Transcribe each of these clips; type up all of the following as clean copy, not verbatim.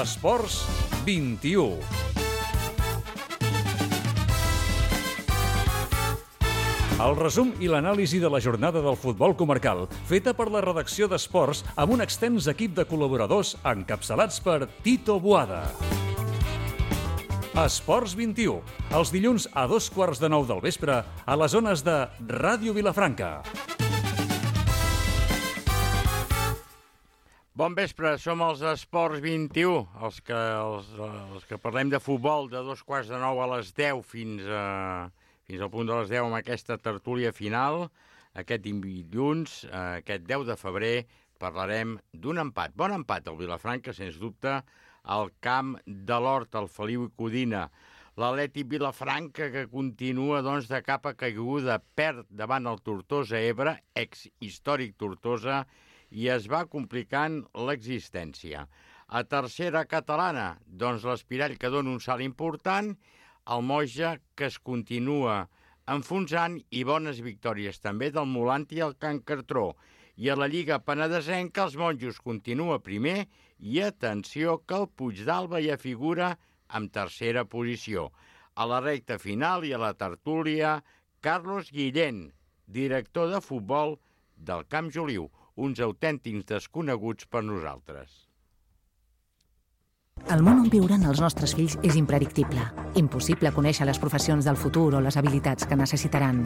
Esports 21. El resum i l'anàlisi de la jornada del futbol comarcal, feta per la redacció d'Esports amb un extens equip de col·laboradors encapçalats per Tito Boada. Esports 21, els dilluns a 8:15 del vespre a les zones de Ràdio Vilafranca. Bon vespre, som els Esports 21, els que parlem de futbol de 8:15 a les 10 fins al punt de les 10 amb aquesta tertúlia final. Aquest dilluns, aquest 10 de febrer, parlarem d'un empat. Bon empat al Vilafranca, sens dubte, al camp de l'Hort, al Feliu i Codina. L'Atlètic Vilafranca, que continua doncs, de capa caiguda, perd davant el Tortosa Ebre, ex-històric Tortosa, i es va complicant l'existència. A tercera catalana, doncs l'Espirall, que dona un salt important, el Moja, que es continua enfonsant, i bones victòries també del Molanti i el Can Cartró. I a la Lliga Penedesenca, els Monjos continua primer i, atenció, que el Puigdàlber ja figura en tercera posició. A la recta final i a la tertúlia, Carlos Guillén, director de futbol del Camp Joliu, uns autèntics desconeguts per nosaltres. El món on viuran els nostres fills és impredictible. Impossible conèixer les professions del futur o les habilitats que necessitaran.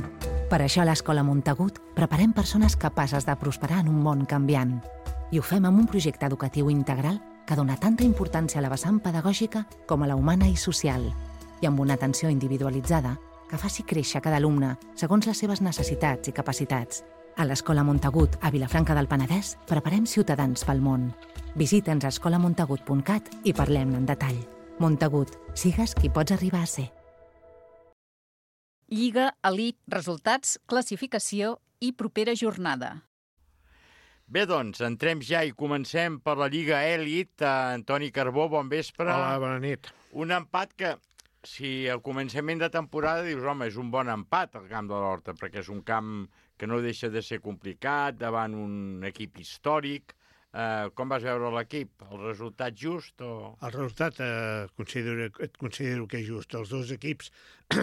Per això a l'Escola Montagut preparem persones capaces de prosperar en un món canviant. I ho fem amb un projecte educatiu integral que dona tanta importància a la vessant pedagògica com a la humana i social, i amb una atenció individualitzada que faci créixer cada alumne segons les seves necessitats i capacitats. A l'Escola Montagut, a Vilafranca del Penedès, preparem ciutadans pel món. Visita'ns a escolamontagut.cat i parlem en detall. Montagut, sigues qui pots arribar a ser. Lliga, elit, resultats, classificació i propera jornada. Bé, doncs, entrem ja i comencem per la Lliga Elit. Antoni Carbó, bon vespre. Hola, bona nit. Un empat que, si al començament de temporada dius, home, és un bon empat al camp de l'Horta, perquè és un camp que no deixa de ser complicat, davant un equip històric. Com vas veure l'equip? El resultat just? El resultat considero que és just. Els dos equips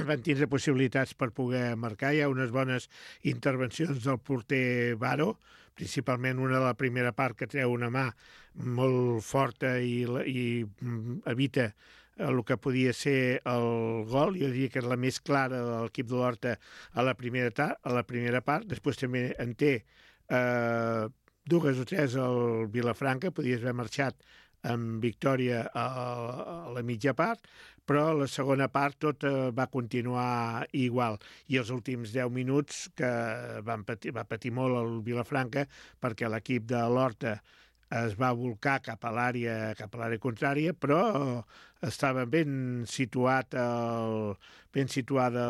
van tindre possibilitats per poder marcar. Hi ha unes bones intervencions del porter Baro, principalment una de la primera part que treu una mà molt forta i evita el que podia ser el gol. Jo diria que és la més clara de l'equip de l'Horta a la primera part. Després també en té dues o tres al Vilafranca, podies haver marxat amb victòria a la mitja part, però la segona part tot va continuar igual. I els últims 10 minuts que va patir molt el Vilafranca perquè l'equip de l'Horta es va volcar cap a l'àrea contrària, però estava ben situada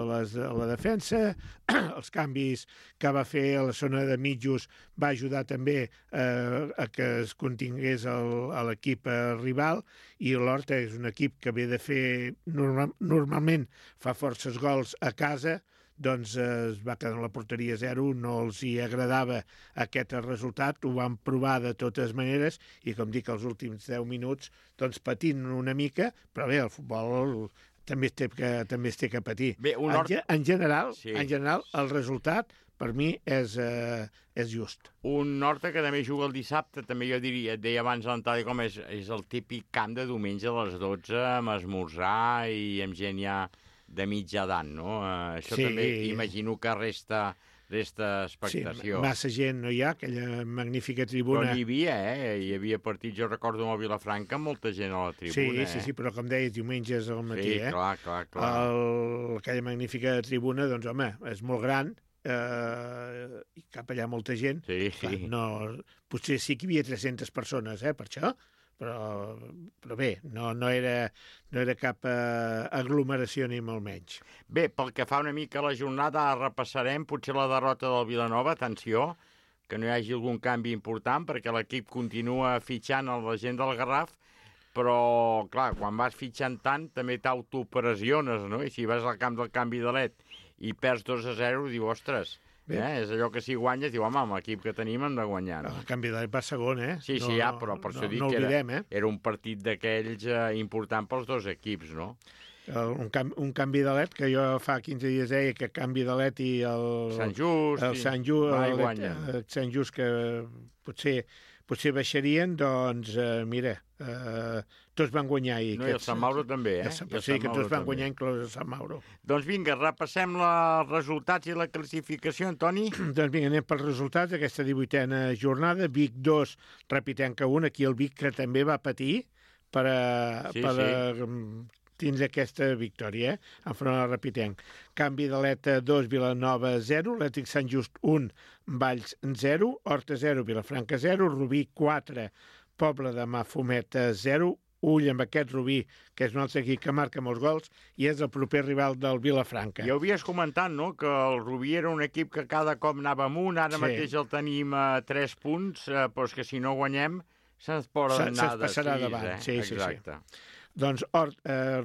la defensa. Els canvis que va fer a la zona de mitjos va ajudar també a que es contingués a l'equip rival, i l'Horta és un equip que ve de fer, normalment fa forces gols a casa, doncs es va quedar en la porteria 0, no els hi agradava aquest resultat, ho van provar de totes maneres, i com dic, els últims 10 minuts doncs patint una mica, però bé, el futbol també es té que patir. Bé, en general, el resultat per mi és just. Un Horta que també juga el dissabte, també jo diria, et deia abans a l'entrada, com és el típic camp de diumenge a les 12, amb esmorzar i amb gent ja de mitja edat, no? Això sí. També imagino que resta expectació. Sí, massa gent no hi ha, aquella magnífica tribuna. Però hi havia partits, jo recordo amb el Vilafranca, molta gent a la tribuna. Sí, però com deies, diumenges al matí, Sí, clar. Aquella magnífica tribuna, doncs, home, és molt gran, i cap allà molta gent. Sí. Clar, no, potser sí que hi havia 300 persones, per això, però bé, no era cap aglomeració ni molt menys. Bé, pel que fa una mica a la jornada, repassarem potser la derrota del Vilanova. Atenció, que no hi hagi algun canvi important, perquè l'equip continua fitxant a la gent del Garraf, però, clar, quan vas fitxant tant, també t'autopressiones, no? I si vas al camp del canvi de led i perds 2-0, diu, ostres, És allò que si guanyes, diu, home, amb l'equip que tenim hem de guanyar. No? El canvi de va segon, Sí, però per això dic que era un partit d'aquells important pels dos equips, no? Un canvi de LED, que jo fa 15 dies deia que canvi de LED i el Sant Just, que potser baixarien, doncs, mira, tots van guanyar. No, i el Sant Mauro també, Sí, que tots van guanyar, inclòs el Sant Mauro. Doncs vinga, repassem els resultats i la classificació, Antoni. Doncs vinga, anem pels resultats d'aquesta 18a jornada. Vic 2, Repitenca 1, aquí el Vic que també va patir per tindre aquesta victòria, enfront al Repitenc. Canvi de l'ETA 2, Vilanova 0, Atlètic Sant Just 1, Valls 0, Horta 0, Vilafranca 0, Rubí 4, Pobla de Mafumet 0, ull amb aquest Rubí, que és un altre equip que marca molts gols, i és el proper rival del Vilafranca. Ja ho havies comentat, no?, que el Rubí era un equip que cada cop anava amunt, ara mateix el tenim a 3 punts, però és que si no guanyem se'ns passarà davant. Sí. Exacte. Doncs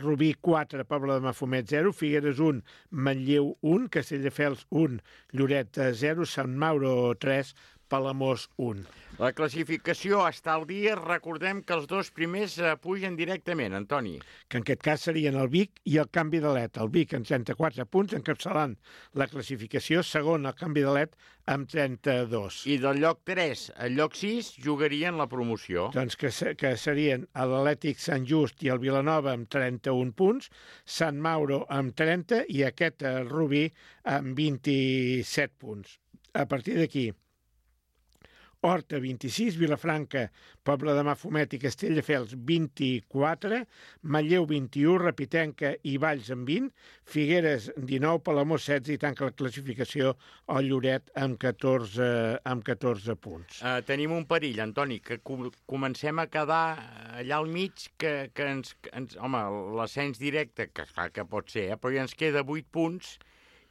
Rubí 4, Pobla de Mafumet 0, Figueres 1, Manlleu 1, Castelldefels 1, Lloret 0, Sant Mauro 3, Palamós 1. La classificació està al dia. Recordem que els dos primers pugen directament, Antoni. Que en aquest cas serien el Vic i el Canvi de l'ET. El Vic amb 34 punts, encapçalant la classificació. Segon, el Canvi de l'ET amb 32. I del lloc 3 al lloc 6 jugarien la promoció. Doncs que serien l'Atlètic Sant Just i el Vilanova amb 31 punts, Sant Mauro amb 30 i aquest Rubí amb 27 punts. A partir d'aquí, Horta, 26, Vilafranca, Pobla de Mafumet i Castelldefels, 24, Manlleu, 21, Repitenca i Valls amb 20, Figueres, 19, Palamós, 16 i tanca la classificació el Lloret amb 14 punts. Tenim un perill, Antoni, que comencem a quedar allà al mig, que ens home, l'ascens directe, que clar que pot ser, però ja ens queda 8 punts,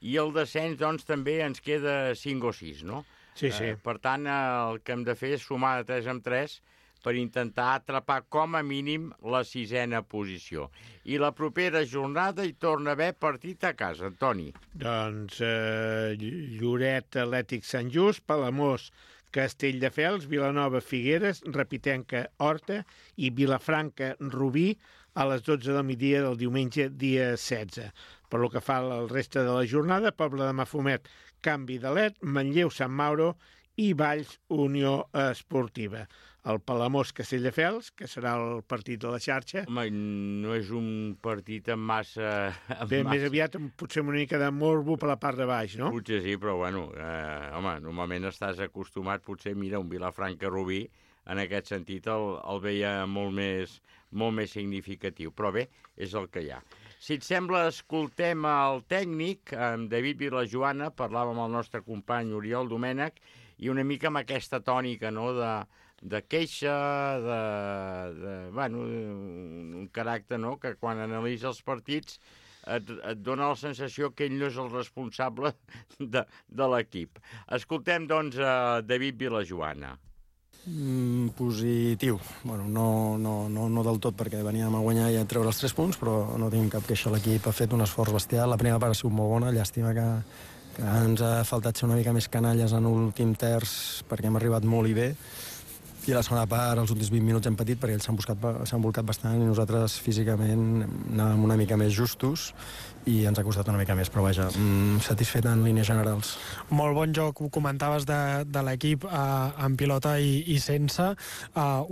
i el descens, doncs, també ens queda 5 o 6, no? Sí. Per tant, el que hem de fer és sumar de 3 en 3 per intentar atrapar com a mínim la 6a posició. I la propera jornada hi torna a haver partit a casa, Antoni. Doncs Lloret, Atlètic Sant Just, Palamós, Castelldefels, Vilanova, Figueres, Repitenca, Horta i Vilafranca, Rubí a les 12 del migdia del diumenge, dia 16. Per lo que fa al resta de la jornada, Pobla de Mafumet, Canvi de l'ET, Manlleu, Sant Mauro i Valls, Unió Esportiva. El Palamós, Castelldefels, que serà el partit de la xarxa. Home, no és un partit amb massa... Més aviat potser una mica de morbo per la part de baix, no? Potser sí, però bueno, home, normalment estàs acostumat, potser, mira, un Vilafranca-Rubí, en aquest sentit el veia molt més significatiu. Però bé, és el que hi ha. Si et sembla, escoltem el tècnic, amb David Vilajoana, parlàvem amb el nostre company Oriol Domènech, i una mica amb aquesta tònica, no?, de queixa, bueno, un caràcter, no?, que quan analitza els partits et dona la sensació que ell no és el responsable de l'equip. Escoltem, doncs, David Vilajoana. Positiu. Bueno, no del tot, perquè veníem a guanyar i a treure els 3 punts, però no tinc cap queixa. L'equip ha fet un esforç bestial. La primera part ha sigut molt bona. Llàstima que ens ha faltat ser una mica més canalles en l'últim terç, perquè hem arribat molt i bé. I a la segona part, els últims 20 minuts hem patit, perquè ells s'han volcat bastant i nosaltres físicament anàvem una mica més justos i ens ha costat una mica més, però vaja, satisfet en línies generals. Molt bon joc, ho comentaves de l'equip en pilota i sense,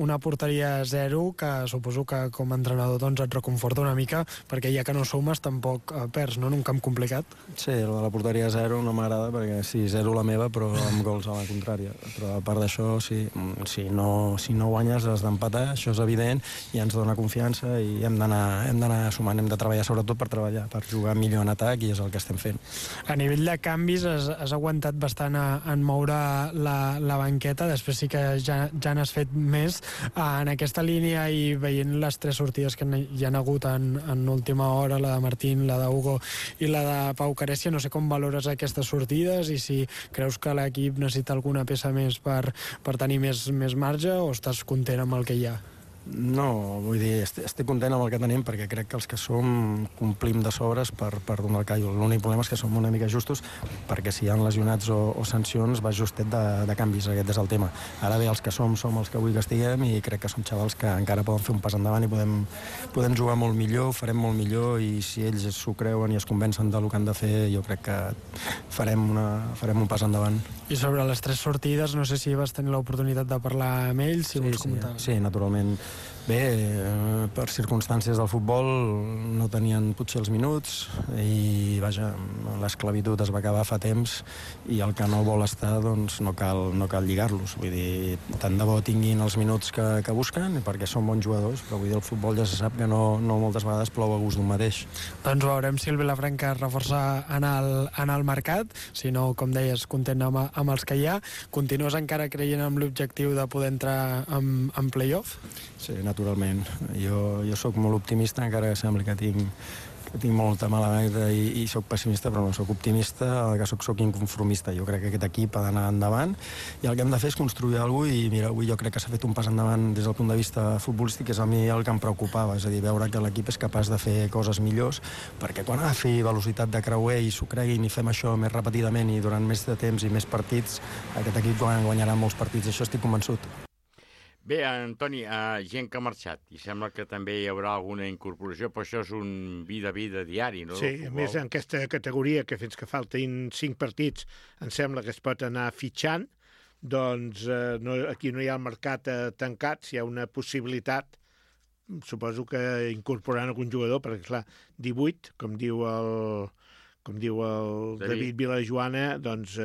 una porteria 0, que suposo que com a entrenador doncs et reconforta una mica, perquè ja que no sumes tampoc perds, no?, en un camp complicat. Sí, la porteria 0 no m'agrada, perquè sí, 0 la meva, però amb gols a la contrària. Però a part d'això, sí, si no guanyes has d'empatar, això és evident, i ens dona confiança i hem d'anar sumant, hem de treballar sobretot per jugar millor en atac, i és el que estem fent. A nivell de canvis has aguantat bastant en moure la banqueta, després sí que ja n'has fet més en aquesta línia, i veient les 3 sortides que hi ha hagut en última hora, la de Martín, la d'Hugo i la de Pau Carència, no sé com valores aquestes sortides i si creus que l'equip necessita alguna peça més per tenir més marge, o estàs content amb el que hi ha? No, vull dir, estic content amb el que tenim perquè crec que els que som complim de sobres per donar el callo. L'únic problema és que som una mica justos perquè si hi ha lesionats o sancions va justet de canvis, aquest és el tema. Ara bé, els que som els que vull que estiguem i crec que som xavals que encara poden fer un pas endavant i podem jugar molt millor, farem molt millor i si ells s'ho creuen i es convencen del que han de fer, jo crec que farem un pas endavant. I sobre les 3 sortides, no sé si vas tenir l'oportunitat de parlar amb ells, si vols comentar. Sí, naturalment. Bé, per circumstàncies del futbol no tenien potser els minuts i, vaja, l'esclavitud es va acabar fa temps i el que no vol estar, doncs, no cal lligar-los. Vull dir, tant de bo tinguin els minuts que busquen, perquè són bons jugadors, però vull dir, el futbol ja se sap que no moltes vegades plou a gust d'un mateix. Doncs veurem si el Vilafranca es reforça en el mercat, si no, com deies, content amb els que hi ha. Continues encara creient en l'objectiu de poder entrar en play-off? Sí, naturalment. Jo sóc molt optimista, encara que sembli que tinc molta mala merda i sóc pessimista, però no sóc optimista, el que sóc inconformista. Jo crec que aquest equip ha d'anar endavant i el que hem de fer és construir alguna cosa i mira, avui jo crec que s'ha fet un pas endavant des del punt de vista futbolístic, que és a mi el que em preocupava, és a dir, veure que l'equip és capaç de fer coses millors, perquè quan agafi velocitat de creuer i s'ho creguin i fem això més repetidament i durant més de temps i més partits, aquest equip guanyarà molts partits, això estic convençut. Bé, Antoni, gent que ha marxat, i sembla que també hi haurà alguna incorporació, però això és un vida diari, no? Sí, a més en aquesta categoria, que fins que faltin 5 partits, em sembla que es pot anar fitxant, doncs aquí no hi ha el mercat tancat, si hi ha una possibilitat, suposo que incorporaran algun jugador, perquè clar, 18, com diu el David Vilajoana, doncs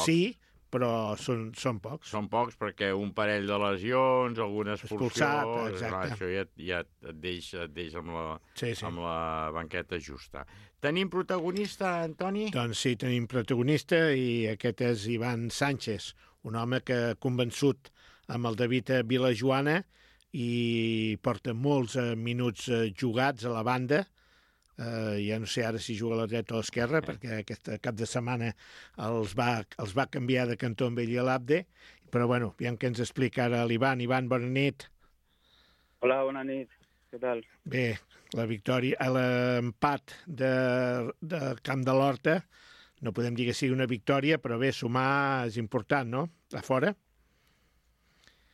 sí, però són pocs. Són pocs perquè un parell de lesions, alguna expulsió, exacte. Això ja et deixa amb la banqueta justa. Tenim protagonista, Antoni? Doncs sí, tenim protagonista i aquest és Ivan Sánchez, un home que ha convençut amb el David Vilajoana i porta molts minuts jugats a la banda. Ja no sé ara si juga a la dreta o a l'esquerra, perquè aquest cap de setmana els va canviar de cantó amb ell i l'Abde, però bueno, aviam què ens explica ara l'Ivan. Ivan, bona nit. Hola, bona nit. Què tal? Bé, la victòria, l'empat de Camp de l'Horta, no podem dir que sigui una victòria, però bé, sumar és important, no? A fora?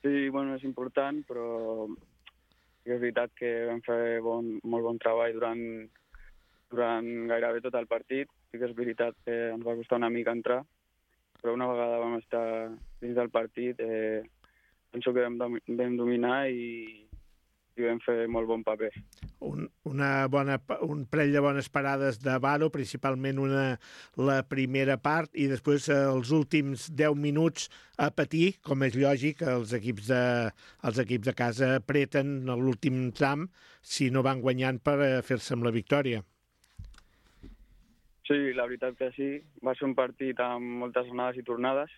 Sí, bueno, és important, però és veritat que vam fer molt bon treball durant gairebé tot el partit. Sí que és veritat que ens va costar una mica entrar, però una vegada vam estar dins del partit, penso que vam dominar i vam fer molt bon paper. Un parell de bones parades de Varo, principalment la primera part, i després els últims 10 minuts a patir, com és lògic, els equips de casa apreten l'últim tram si no van guanyant per fer-se amb la victòria. Sí, la veritat que sí. Va ser un partit amb moltes anades i tornades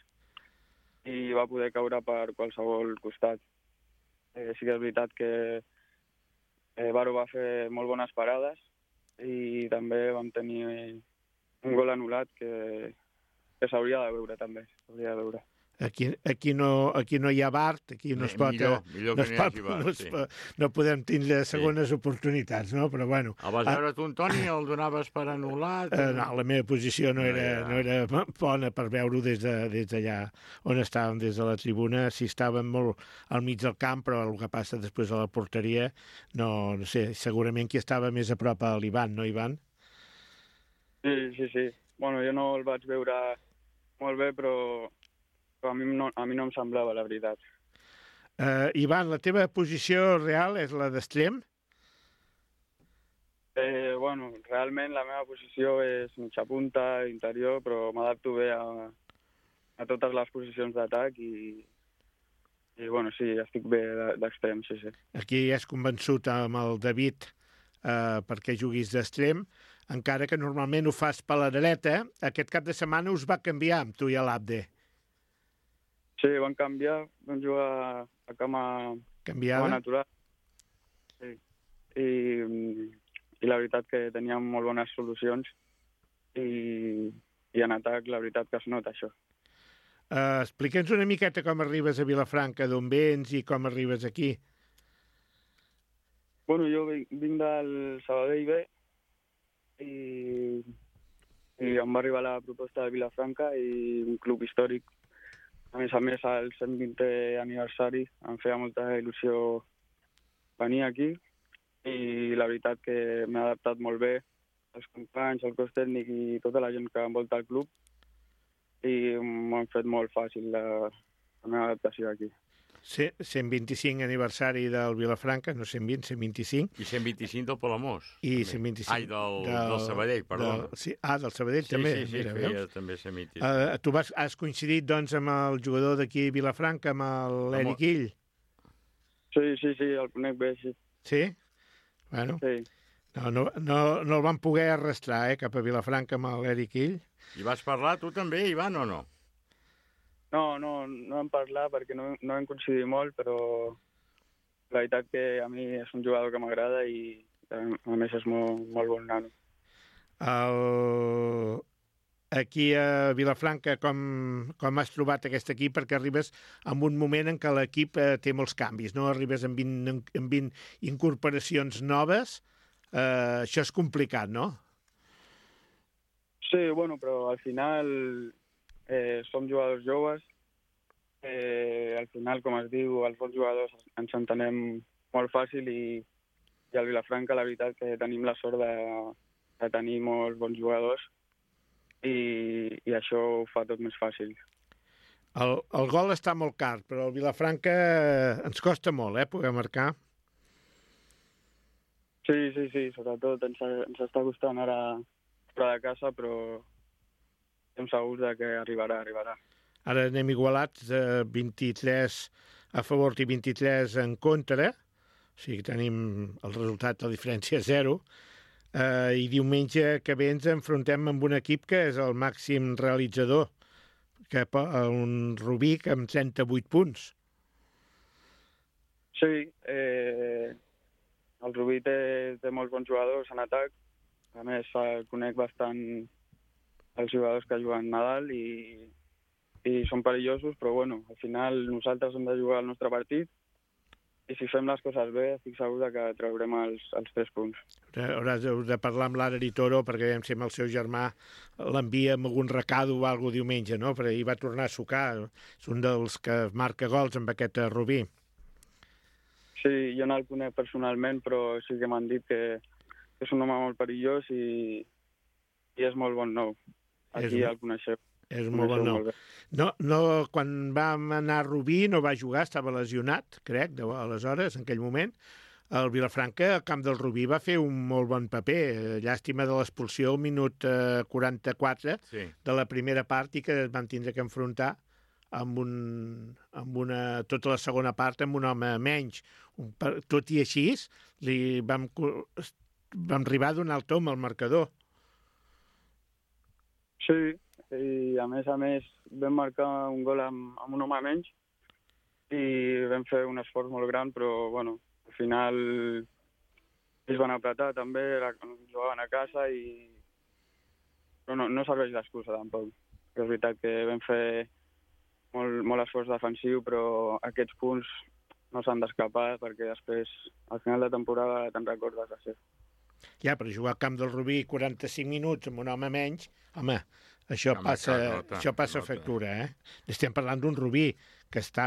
i va poder caure per qualsevol costat. Sí que és veritat que Varo va fer molt bones parades i també vam tenir un gol anul·lat que s'hauria de veure també. S'hauria de veure. Aquí no hi ha VAR, aquí no es pot... Millor que no hi hagi VAR, sí. No podem tindre segones oportunitats, no? Però bueno... El vas veure tu, Antoni, el donaves per anul·lat? No, la meva posició no era bona per veure-ho des d'allà on estàvem, des de la tribuna. Sí, estàvem molt al mig del camp, però el que passa després a la porteria, no sé, segurament qui estava més a prop a l'Ivan, no, Ivan? Sí. Bueno, jo no el vaig veure molt bé, però a mi no em semblava, la veritat. Ivan, la teva posició real és la d'extrem? Bueno, realment la meva posició és mitja punta, interior, però m'adapto bé a totes les posicions d'atac i bueno, sí, estic bé d'extrem, sí. Aquí has convençut amb el David perquè juguis d'extrem, encara que normalment ho fas per la dreta. Aquest cap de setmana us va canviar amb tu i l'Abde. Sí, van canviar, van jugar a cama natural. Sí. I la veritat que teníem molt bones solucions i en atac la veritat que es nota això. Explica'ns una miqueta com arribes a Vilafranca, d'on vens i com arribes aquí. Bueno, jo vinc del Sabadell B i em va arribar la proposta de Vilafranca i un club històric. A més, al 120è aniversari em feia molta il·lusió venir aquí i la veritat que m'he adaptat molt bé, els companys, el cos tècnic i tota la gent que envolta el club, i m'ho han fet molt fàcil la meva adaptació aquí. 125 aniversari del Vilafranca, no 120, 125. I 125 del Palamós. I 125... Ai, del Sabadell, perdó. Del Sabadell també. Sí, feia també 125. Tu has coincidit, doncs, amb el jugador d'aquí Vilafranca, amb l'Eric Ill? Sí, el conec bé, sí. Sí? Bueno, sí. No el van poder arrastrar, cap a Vilafranca amb l'Eric Ill. I vas parlar tu també, Ivan, o no? No vam parlar perquè no vam coincidir molt, però la veritat que a mi és un jugador que m'agrada i a més és molt bon nano. Aquí a Vilafranca, com has trobat aquest equip? Perquè arribes en un moment en què l'equip té molts canvis, no? Arribes amb 20 incorporacions noves, això és complicat, no? Sí, bueno, però al final som jugadors joves, al final, com es diu, els bons jugadors ens entenem molt fàcil i al Vilafranca la veritat que tenim la sort de tenir molts bons jugadors i això ho fa tot més fàcil. El gol està molt car, però el Vilafranca ens costa molt, poder marcar. Sí, sobretot ens està costant ara fora de casa, però estem segurs que arribarà. Ara anem igualats, 23 a favor i 23 en contra, o sigui que tenim el resultat, la diferència 0, i diumenge que ve ens enfrontem amb un equip que és el màxim realitzador, un Rubí amb 38 punts. Sí, el Rubí té molts bons jugadors en atac, a més conec bastant els jugadors que juguen Nadal i són perillosos, però bueno, al final nosaltres hem de jugar el nostre partit i si fem les coses bé estic segur que traurem els 3 punts. Hauràs de parlar amb l'Ara Toro perquè si amb el seu germà l'envia amb algun recado o alguna cosa diumenge, no? Perquè ell va tornar a sucar, és un dels que marca gols amb aquest Rubí. Sí, jo no el conec personalment, però sí que m'han dit que és un home molt perillós i és molt bon nou. Aquí el coneixeu. És molt bon nou. No, quan vam anar a Rubí no va jugar, estava lesionat, crec, aleshores, en aquell moment. El Vilafranca, al camp del Rubí, va fer un molt bon paper. Llàstima de l'expulsió al minut 44 de la primera part i que es van tindre que enfrontar amb tota la segona part amb un home menys. Tot i així, vam arribar a donar el tom al marcador. Sí, i a més vam marcar un gol amb un home menys i vam fer un esforç molt gran, però bueno, al final ells van apretar també, jugaven a casa però no serveix d'excusa tampoc. És veritat que vam fer molt esforç defensiu, però aquests punts no s'han d'escapar perquè després, al final de temporada, te'n recordes de ser. Ja, però jugar al camp del Rubí 45 minuts amb un home menys, home, això passa factura, Estem parlant d'un Rubí que està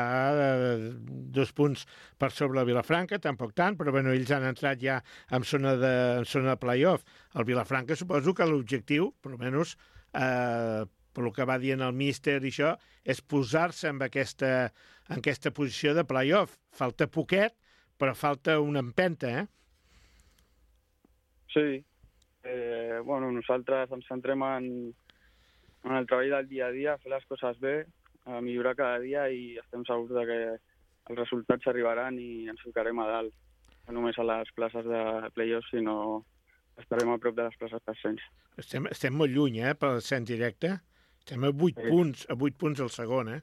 2 punts per sobre el Vilafranca, tampoc tant, però bueno, ells han entrat ja en zona de play-off. El Vilafranca suposo que l'objectiu, per almenys, pel que va dient el míster i això, és posar-se en aquesta posició de play-off. Falta poquet, però falta una empenta, Sí. Bueno, nosaltres ens centrem en el treball del dia a dia, fer les coses bé, a millorar cada dia i estem segurs que els resultats arribaran i ens ficarem a dalt. No només a les places de play-off, sinó estarem a prop de les places d'ascens. Estem molt lluny, per l'ascens directe. Estem a 8 punts al segon,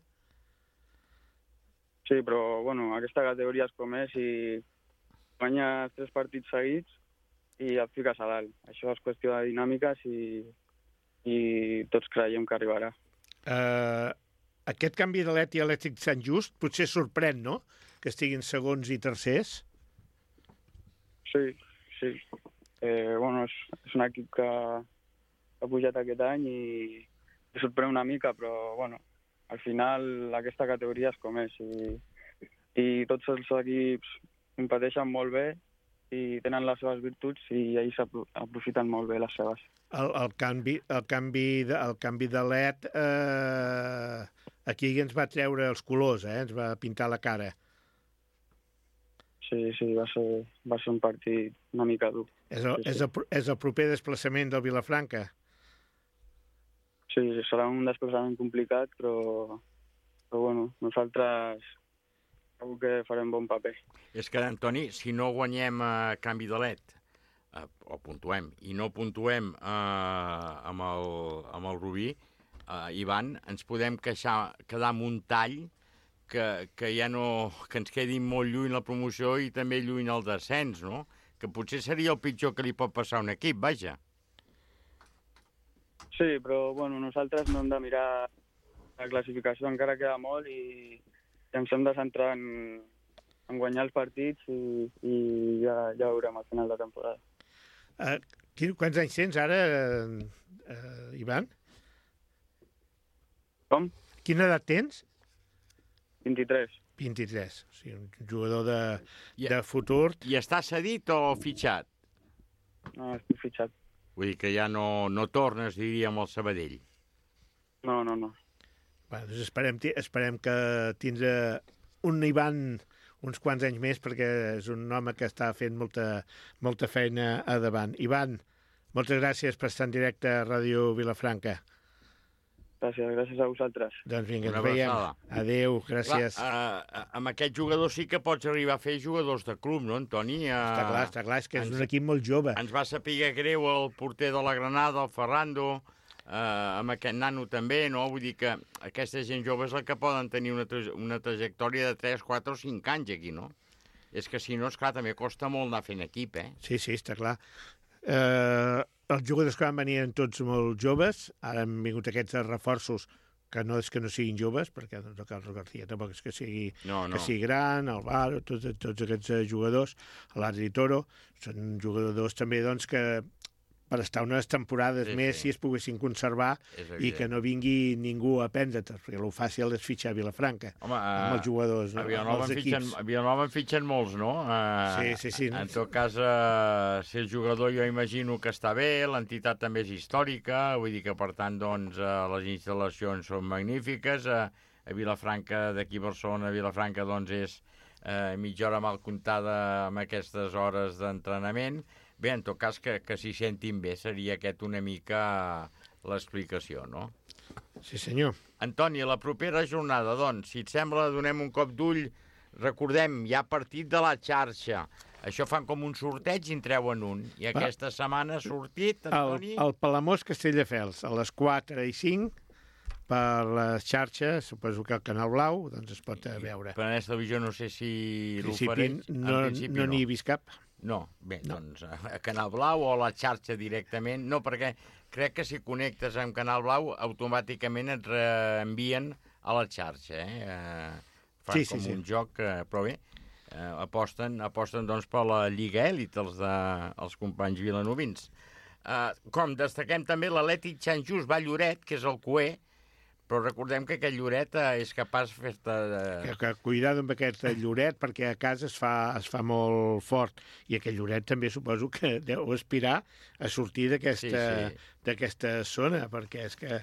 Sí, però, bueno, aquesta categoria és com és i guanyes 3 partits seguits i et fiques a dalt. Això és qüestió de dinàmiques i tots creiem que arribarà. Aquest canvi de l'ETI a Elèctric Sant Just potser sorprèn, no?, que estiguin segons i tercers. Sí. És un equip que ha pujat aquest any i sorprèn una mica, però al final aquesta categoria és com és i tots els equips competeixen molt bé i tenen les seves virtuts i ells aprofiten molt bé les seves. El canvi de LED aquí ens va treure els colors, ens va pintar la cara. Sí, va ser un partit una mica dur. És el proper desplaçament del Vilafranca? Sí, serà un desplaçament complicat, però nosaltres segur que farem bon paper. És que, Antoni, si no guanyem a canvi de LED, o puntuem, i no puntuem amb el Rubí, Ivan, ens podem quedar amb un tall que ja no... que ens quedi molt lluny la promoció i també lluny el descens, no? Que potser seria el pitjor que li pot passar a un equip, vaja. Sí, però nosaltres no hem de mirar la classificació, encara queda molt i ens hem de centrar en guanyar els partits i ja veurem al final de temporada. Quants anys tens ara, Ivan? Com? Quina edat tens? 23. 23, o sigui, un jugador de futur. I està cedit o fitxat? No, estic fitxat. Vull dir que ja no tornes, diríem, al Sabadell. No. Doncs esperem que tindrà un Ivan uns quants anys més, perquè és un home que està fent molta feina a davant. Ivan, moltes gràcies per estar en directe a Ràdio Vilafranca. Gràcies a vosaltres. Doncs vinga, ens veiem. Adéu, gràcies. Clar, amb aquest jugador sí que pots arribar a fer jugadors de club, no, Antoni? Està clar, és que és un equip molt jove. Ens va saber greu el porter de la Granada, el Ferrando, amb aquest nano també, no? Vull dir que aquesta gent jove és la que poden tenir una trajectòria de 3, 4 o 5 anys aquí, no? És que si no, esclar, també costa molt anar fent equip, Sí, està clar. Els jugadors que van venir eren tots molt joves, ara han vingut aquests reforços que no és que no siguin joves, perquè el Carlos García tampoc és que sigui gran, el Varo, tots aquests jugadors, l'Adri Toro, són jugadors també doncs, que per estar unes temporades més si es poguessin conservar i que no vingui ningú a prendre'ls, perquè el fàcil és fitxar a Vilafranca. Home, amb els jugadors, a Vilanova en fitxen molts, no? Sí. En tot cas, si el jugador jo imagino que està bé, l'entitat també és històrica, vull dir que per tant doncs, les instal·lacions són magnífiques, a Vilafranca, d'aquí a Barcelona, a Vilafranca doncs és mitja hora mal comptada amb aquestes hores d'entrenament. Bé, en tot cas, que s'hi sentin bé seria aquest una mica l'explicació, no? Sí, senyor. Antoni, la propera jornada, doncs, si et sembla, donem un cop d'ull. Recordem, hi ha partit de la xarxa. Això fan com un sorteig i en treuen un. I aquesta setmana ha sortit, Antoni... El Palamós Castelldefels, a les 4 i 5, per la xarxa, suposo que el Canal Blau, doncs es pot veure. Per aquesta televisió no sé si l'ofereix. No n'hi he vist cap. No, bé, doncs a Canal Blau o a la xarxa directament. No, perquè crec que si connectes amb Canal Blau automàticament et reenvien a la xarxa. Fan com un joc, però bé, aposten doncs per la Lliga Èlit, els companys vilanovins. Com destaquem també l'Atlètic Sant Just va a Lloret, que és el cuer, però recordem que aquest Lloret és capaç de fer-te... Que cuidado amb aquest Lloret, perquè a casa es fa molt fort. I aquest Lloret també suposo que deu aspirar a sortir d'aquesta zona, perquè és que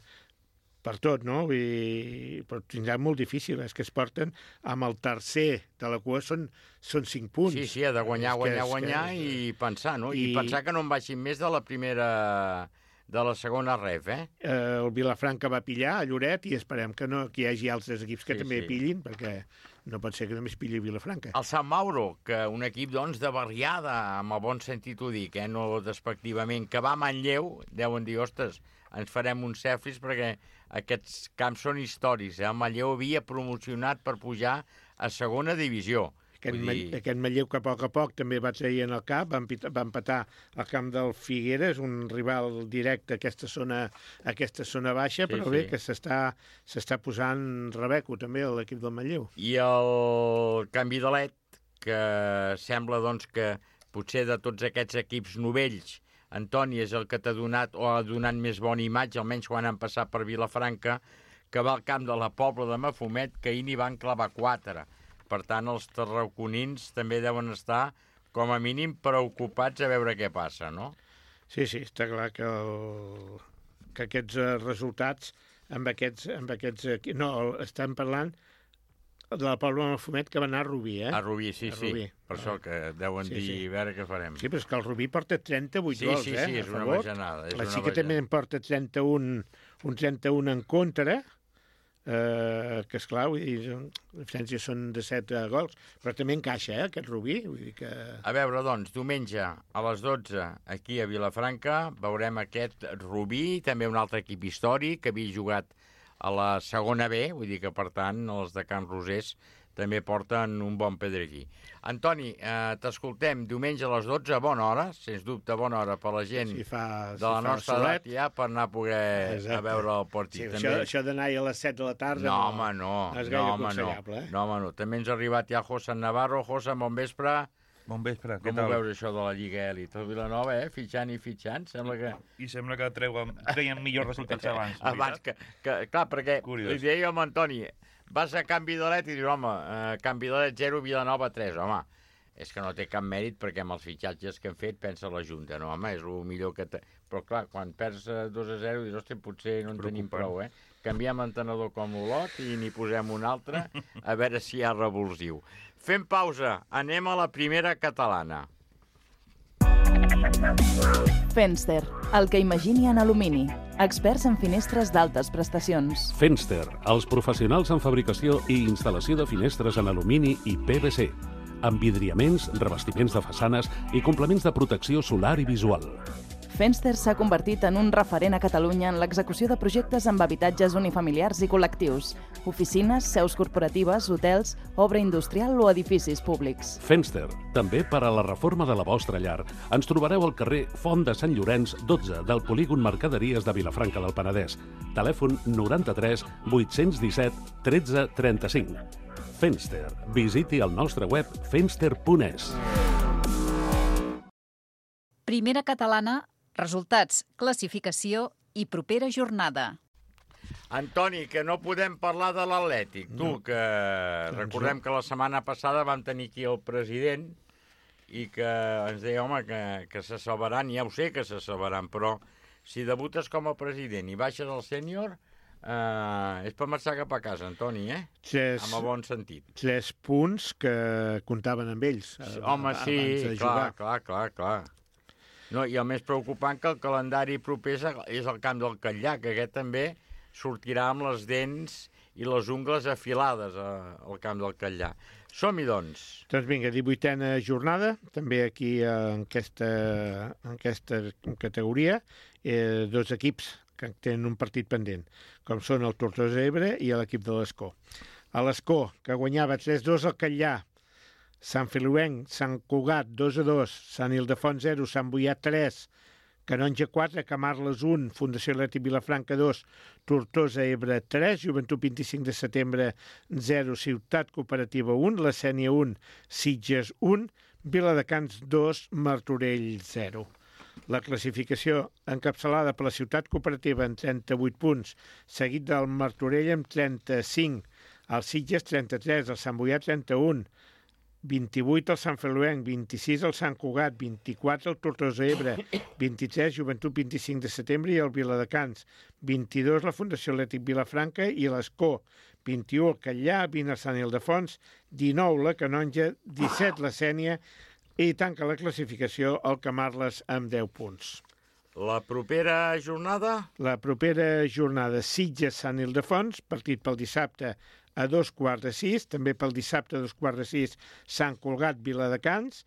per tot, no? Però tindrà molt difícil, és que es porten amb el tercer de la cua, són 5 punts. Sí, ha de guanyar i pensar, no? I pensar que no en baixin més de la primera... de la segona ref, El Vilafranca va pillar a Lloret i esperem que hi hagi altres equips que també pillin, perquè no pot ser que només pilli Vilafranca. El Sant Mauro, que un equip doncs, de barriada, amb el bon sentit ho dic, no despectivament, que va a Manlleu, deuen dir, ostres, ens farem uns cefris perquè aquests camps són històrics. El Manlleu havia promocionat per pujar a segona divisió. Aquest Manlleu que a poc també va trair en el cap, va empatar al camp del Figueres, un rival directe a aquesta zona baixa, però bé, que s'està posant rebeco també l'equip del Manlleu. I el canvi de LED, que sembla doncs, que potser de tots aquests equips novells, Antoni és el que t'ha donat o ha donat més bona imatge, almenys quan han passat per Vilafranca, que va al camp de la Pobla de Mafumet, que ahir n'hi van clavar 4. Per tant, els tarraconins també deuen estar, com a mínim, preocupats a veure què passa, no? Sí, està clar que aquests resultats amb aquests... No, estem parlant de la Pobla de Mafumet, que va anar a Rubí, eh? A Rubí, sí. Per això que deuen dir, a veure què farem. Sí, però és que el Rubí porta 38 gols, eh? Sí, és una bajanada. La Xica també en porta 31 en contra, que esclar, vull dir, la diferència són de 7 gols, però també encaixa, aquest Rubí, vull dir que... A veure, doncs, diumenge a les 12 aquí a Vilafranca veurem aquest Rubí, també un altre equip històric que havia jugat a la segona B, vull dir que, per tant, els de Can Rosés també porten un bon pedregí. Antoni, t'escoltem diumenge a les 12, a bona hora, sens dubte bona hora per la gent de la nostra edat ja per anar a poder a veure el partit. Sí, això d'anar a les 7 de la tarda no és gaire aconsellable. No. També ens ha arribat ja José Navarro. José, bon vespre. Bon vespre, què tal? Com ho veus això de la Lliga Elit? El Vilanova, fitxant, sembla que... I sembla que treien millors resultats abans. Abans, clar, perquè li deia amb Antoni, vas a Can Vidalet i dius, home, Can Vidalet 0, Vilanova 3, home, és que no té cap mèrit perquè amb els fitxatges que han fet pensa la Junta, no, home, és el millor que... Però clar, quan perds 2-0 dius, ostres, potser no en tenim prou, Canviem l'entenedor com l'Olot i n'hi posem un altre, a veure si hi ha revulsiu. Fem pausa, anem a la primera catalana. Fenster, el que imagini en alumini. Experts en finestres d'altes prestacions. Fenster, els professionals en fabricació i instal·lació de finestres en alumini i PVC. Amb vidriaments, revestiments de façanes i complements de protecció solar i visual. Fenster s'ha convertit en un referent a Catalunya en l'execució de projectes amb habitatges unifamiliars i col·lectius, oficines, seus corporatives, hotels, obra industrial o edificis públics. Fenster, també per a la reforma de la vostra llar. Ens trobareu al carrer Font de Sant Llorenç, 12, del polígon Mercaderies de Vilafranca del Penedès. Telèfon 93 817 13 35. Fenster. Visiti el nostre web fenster.es. Primera catalana, resultats, classificació i propera jornada. Antoni, que no podem parlar de l'Atlètic. Tu, que recordem que la setmana passada vam tenir aquí el president i que ens deia, home, que se salvaran, ja ho sé que se salvaran, però si debutes com a president i baixes al sènior, és per marxar cap a casa, Antoni, amb el bon sentit. 3 punts que comptaven amb ells. Home, sí, clar. No, i el més preocupant que el calendari proper és el camp del Catllà, que aquest també sortirà amb les dents i les ungles afilades al camp del Catllà. Som-hi, doncs. Doncs vinga, 18a jornada, també aquí en aquesta categoria, 2 equips que tenen un partit pendent, com són el Tortosa Ebre i l'equip de l'Escó. A l'Escó, que guanyava 3-2 al Catllà, Sant Feliuenc, Sant Cugat, 2-2, Sant Ildefons 0, Sant Boià 3, Canonja 4, Camarles 1, Fundació Atlètic Vilafranca 2, Tortosa Ebre 3, Joventut 25 de setembre 0, Ciutat Cooperativa 1, La Sénia 1, Sitges 1, Viladecans 2, Martorell 0. La classificació encapçalada per la Ciutat Cooperativa amb 38 punts, seguit del Martorell amb 35, el Sitges 33, el Sant Boià 31, 28 al Sant Feliuenc, 26 al Sant Cugat, 24 al Tortosa Ebre, 23 Joventut 25 de setembre i el Viladecans, 22 la Fundació Atlètic Vilafranca i l'Escó, 21 el Catllà, 20 el Sant Ildefons, 19 la Canonja, 17 la Sénia i tanca la classificació el Camarles amb 10 punts. La propera jornada? La propera jornada, Sitges-Sant Ildefons, partit pel dissabte a 5:15, també pel dissabte a 5:15, Sant Cugat, Viladecans,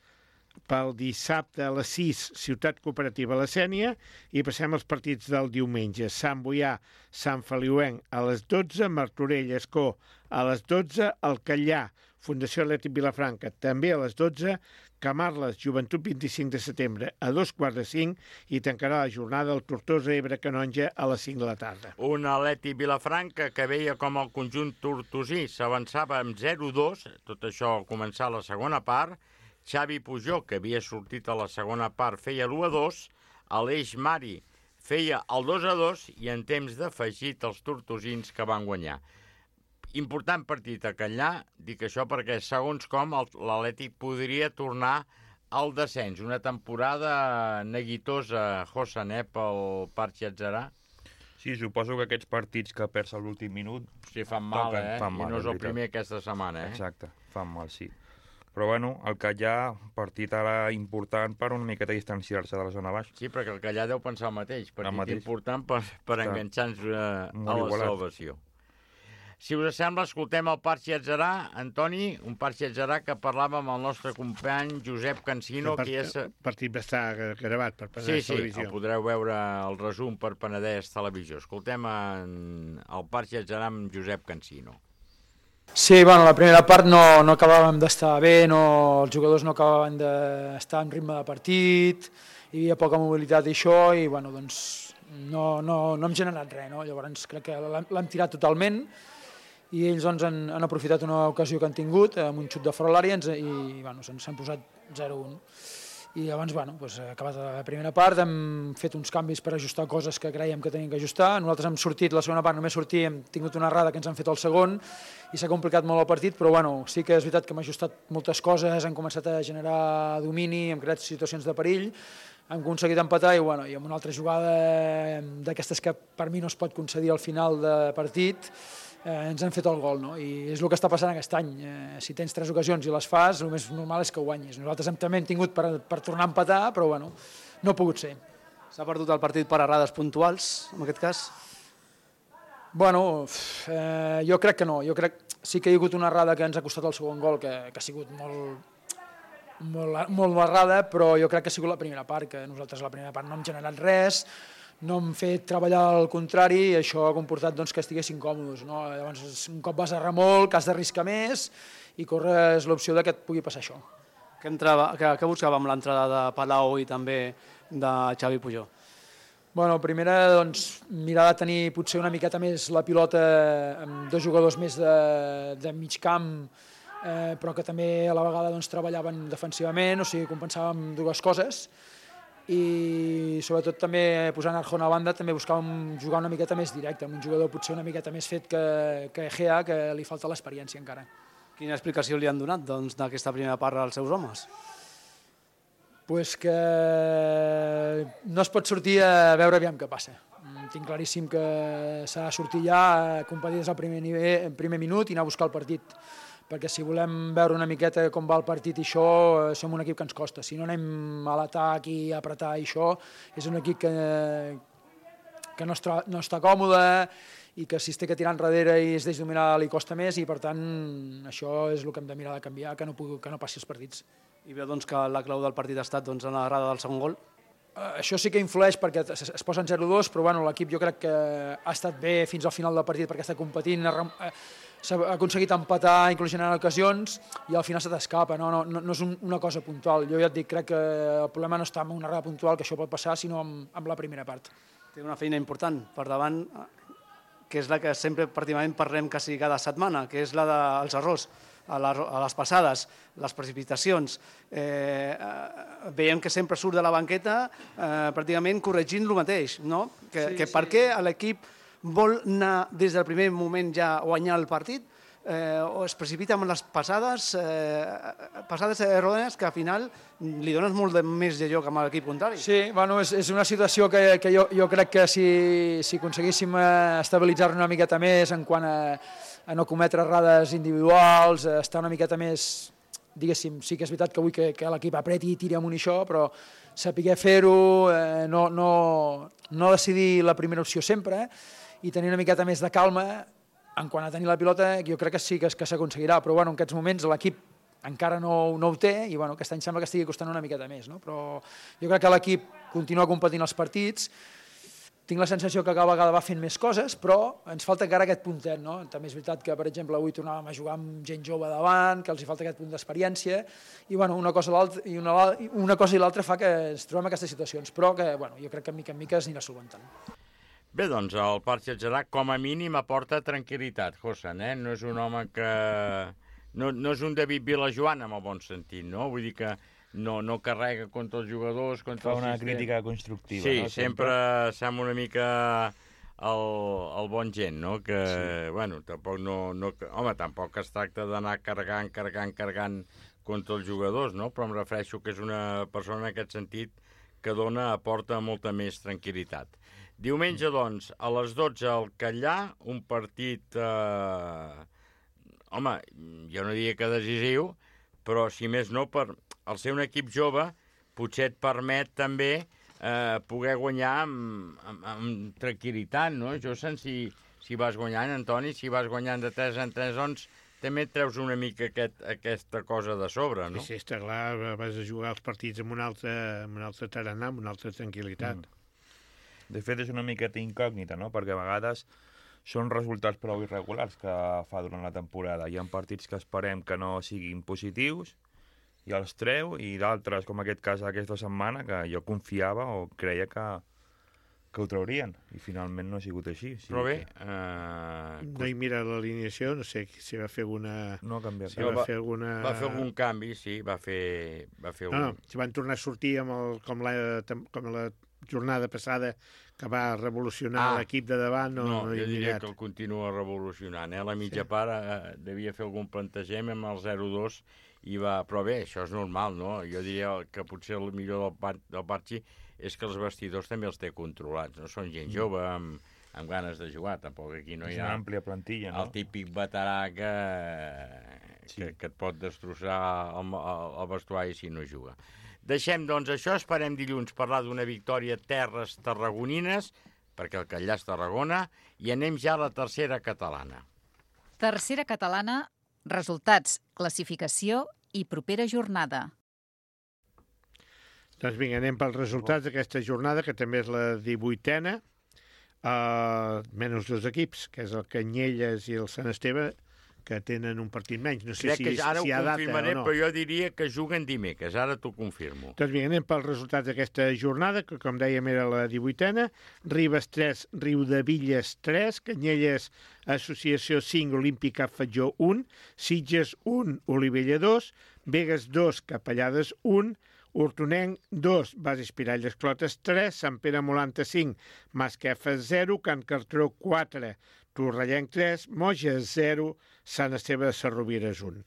pel dissabte a les 6, Ciutat Cooperativa La Sénia, i passem als partits del diumenge. Sant Boià, Sant Feliuenc, a les 12, Martorell, Escó, a les 12, el Catllà, Fundació Atlètic Vilafranca, també a les 12, Camarles, Joventut 25 de setembre, a 2:45, i tancarà la jornada el Tortosa Ebre Canonja a les 5 de la tarda. Un Atlètic Vilafranca que veia com el conjunt tortosí s'avançava amb 0-2, tot això al començar la segona part, Xavi Pujol, que havia sortit a la segona part, feia l'1-2, Aleix Mari feia el 2-2 i en temps d'afegit els tortosins que van guanyar. Important partit a Catllà, dic això perquè segons com l'Atlètic podria tornar al descens. Una temporada neguitosa, Josan, pel Parc Atzarà. Sí, suposo que aquests partits que perds a l'últim minut... Sí, fan mal, Fan mal, I no és el primer aquesta setmana, Exacte, fan mal, sí. Però bueno, el Catllà, partit ara important per una miqueta distanciar-se de la zona baix. Sí, perquè el Catllà deu pensar el mateix. Partit important per enganxar-nos a la salvació. Si us sembla, escoltem el Parc Atzarà. Antoni, un Parc Atzarà que parlàvem amb el nostre company Josep Cansino. El partit va estar gravat per Penedès Televisió. Sí, el podreu veure el resum per Penedès Televisió. Escoltem el Parc Atzarà amb Josep Cansino. Sí, bueno, la primera part no acabàvem d'estar bé, els jugadors no acabaven d'estar en ritme de partit, hi havia poca mobilitat i això, i bueno, doncs no hem generat res, no? Llavors crec que l'hem tirat totalment i ells doncs, han aprofitat una ocasió que han tingut amb un xut de fora a l'àrea i bueno, s'han posat 0-1. I llavors, bueno, acabat la primera part, hem fet uns canvis per ajustar coses que creiem que teníem que ajustar. Nosaltres hem sortit, la segona part només sortir, hem tingut una errada que ens han fet el segon i s'ha complicat molt el partit, però bueno, sí que és veritat que hem ajustat moltes coses, hem començat a generar domini, hem creat situacions de perill, hem aconseguit empatar i, bueno, i amb una altra jugada d'aquestes que per mi no es pot concedir al final de partit, ens han fet el gol, no? I és el que està passant aquest any. Si tens 3 ocasions i les fas, el més normal és que guanyis. Nosaltres també hem tingut per tornar a empatar, però bueno, no ha pogut ser. S'ha perdut el partit per errades puntuals, en aquest cas? Bueno, jo crec que no. Jo crec sí que hi ha hagut una errada que ens ha costat el segon gol, que ha sigut molt errada, però jo crec que ha sigut la primera part, que nosaltres a la primera part no hem generat res, no hem fet treballar al contrari i això ha comportat doncs, que estiguessin còmodes. No? Llavors, un cop vas a remolc, has d'arriscar més i corres l'opció que et pugui passar això. Què buscava amb l'entrada de Palau i també de Xavi Pujol? Bueno, primera, doncs, mirar de tenir potser una miqueta més la pilota amb 2 jugadors més de mig camp, però que també a la vegada doncs, treballaven defensivament, o sigui, compensàvem 2 coses. I sobretot també posant Arjona a banda també buscàvem jugar una miqueta més directe, amb un jugador potser una miqueta més fet que Egea, que li falta l'experiència encara. Quina explicació li han donat d'aquesta primera part als seus homes? Pues que no es pot sortir a veure aviam què passa. Tinc claríssim que s'ha de sortir ja a competir des del primer minut i anar a buscar el partit, perquè si volem veure una miqueta com va el partit i això, som un equip que ens costa. Si no anem a l'atac i a apretar i això, és un equip que no està còmode i que si es té que tirar enrere i es deixa dominar li costa més i per tant això és el que hem de mirar de canviar, que no passi els partits. I veu doncs, que la clau del partit ha estat en l'errada del segon gol? Això sí que influeix perquè es posa en 0-2, però bueno, l'equip jo crec que ha estat bé fins al final del partit perquè està competint, s'ha aconseguit empatar, inclús generant ocasions, i al final se t'escapa, no és una cosa puntual. Jo ja et dic, crec que el problema no està en una errada puntual, que això pot passar, sinó amb la primera part. Té una feina important per davant, que és la que sempre pràcticament parlem quasi cada setmana, que és la dels errors, a les passades, les precipitacions. Veiem que sempre surt de la banqueta pràcticament corregint el mateix, no? Que per què l'equip vol anar des del primer moment ja a guanyar el partit o es precipita amb les passades errònies que al final li dones molt més de joc amb l'equip contrari. Sí, bueno, és una situació que jo crec que si aconseguíssim estabilitzar-nos una miqueta més en quant a no cometre errades individuals, estar una miqueta més, diguéssim, sí que és veritat que vull que l'equip apreti i tiri amunt i això, però saber fer-ho, no decidir la primera opció sempre, i tenir una miqueta més de calma en quant a tenir la pilota, jo crec que sí que s'aconseguirà, però bueno, en aquests moments l'equip encara no ho té i bueno, aquest any sembla que estigui costant una miqueta més, no? Però jo crec que l'equip continua competint els partits, tinc la sensació que cada vegada va fent més coses, però ens falta encara aquest puntet, no? També és veritat que, per exemple, avui tornàvem a jugar amb gent jove davant, que els hi falta aquest punt d'experiència, i bueno, una cosa i l'altra fa que ens trobem en aquestes situacions, però que bueno, jo crec que mica en mica es anirà solventant. Bé, doncs el Parc Atzarà com a mínim aporta tranquil·litat, Josan, No és un home que no és un David Vilajoan, en el bon sentit, no? Vull dir que no carrega contra els jugadors, contra el sistema. Fa una crítica constructiva, sí, no? Sí, sempre sembla una mica el bon gent, no? Que, sí. Bueno, tampoc home, tampoc es tracta d'anar carregant contra els jugadors, no? Però em refereixo que és una persona en aquest sentit que aporta molta més tranquil·litat. Diumenge, doncs, a les 12 al Catllà, un partit, home, jo no diria que decisiu, però si més no, al ser un equip jove, potser et permet també poder guanyar amb tranquil·litat, no? Jo sé si vas guanyant, Antoni, si vas guanyant de 3 en 3, doncs també et treus una mica aquesta cosa de sobre, no? Sí, està clar, vas a jugar els partits amb un altre tarannà, amb una altra tranquil·litat. De fet, és una miqueta incògnita, no? Perquè a vegades són resultats prou irregulars que fa durant la temporada. Hi ha partits que esperem que no siguin positius i els treu, i d'altres, com aquest cas aquesta setmana, que jo confiava o creia que ho traurien, i finalment no ha sigut així. Sí, però bé... No hi mira l'alineació, no sé si va fer alguna... No ha canviat. Si va fer alguna... Va fer algun canvi, sí, va fer No, si van tornar a sortir com la jornada passada, que va revolucionar l'equip de davant, no jo diria que el continua revolucionant. La mitja part devia fer algun plantejament amb el 0-2, però bé, això és normal, no? Jo diria que potser el millor del Barchi és que els vestidors també els té controlats, no? Són gent jove, amb ganes de jugar, tampoc aquí no hi ha... És una àmplia plantilla, no? El típic veterà que et pot destrossar el vestuari si no juga. Deixem, doncs, això, esperem dilluns parlar d'una victòria terres tarragonines, perquè el Catllà és Tarragona, i anem ja a la tercera catalana. Tercera catalana, resultats, classificació i propera jornada. Doncs vinga, anem pels resultats d'aquesta jornada, que també és la 18a, menys 2 equips, que és el Canyelles i el Sant Esteve, que tenen un partit menys. No sé Crec que ara si hi ha data o no. Però jo diria que juguen dimecres, ara t'ho confirmo. Doncs vinga, anem pels resultats d'aquesta jornada, que com dèiem era la 18a, Ribes 3, Riudevilles 3, Canyelles Associació 5, Olímpica Fatjó 1, Sitges 1, Olivella 2, Begues 2, Capellades 1, Hortonenc 2, Bases Pirall Esclotes 3, Sant Pere Molanta 5, Masquefa 0, Can Cartró 4, Torrellenc 3, Moja 0, Sant Esteve de Sarrovires 1.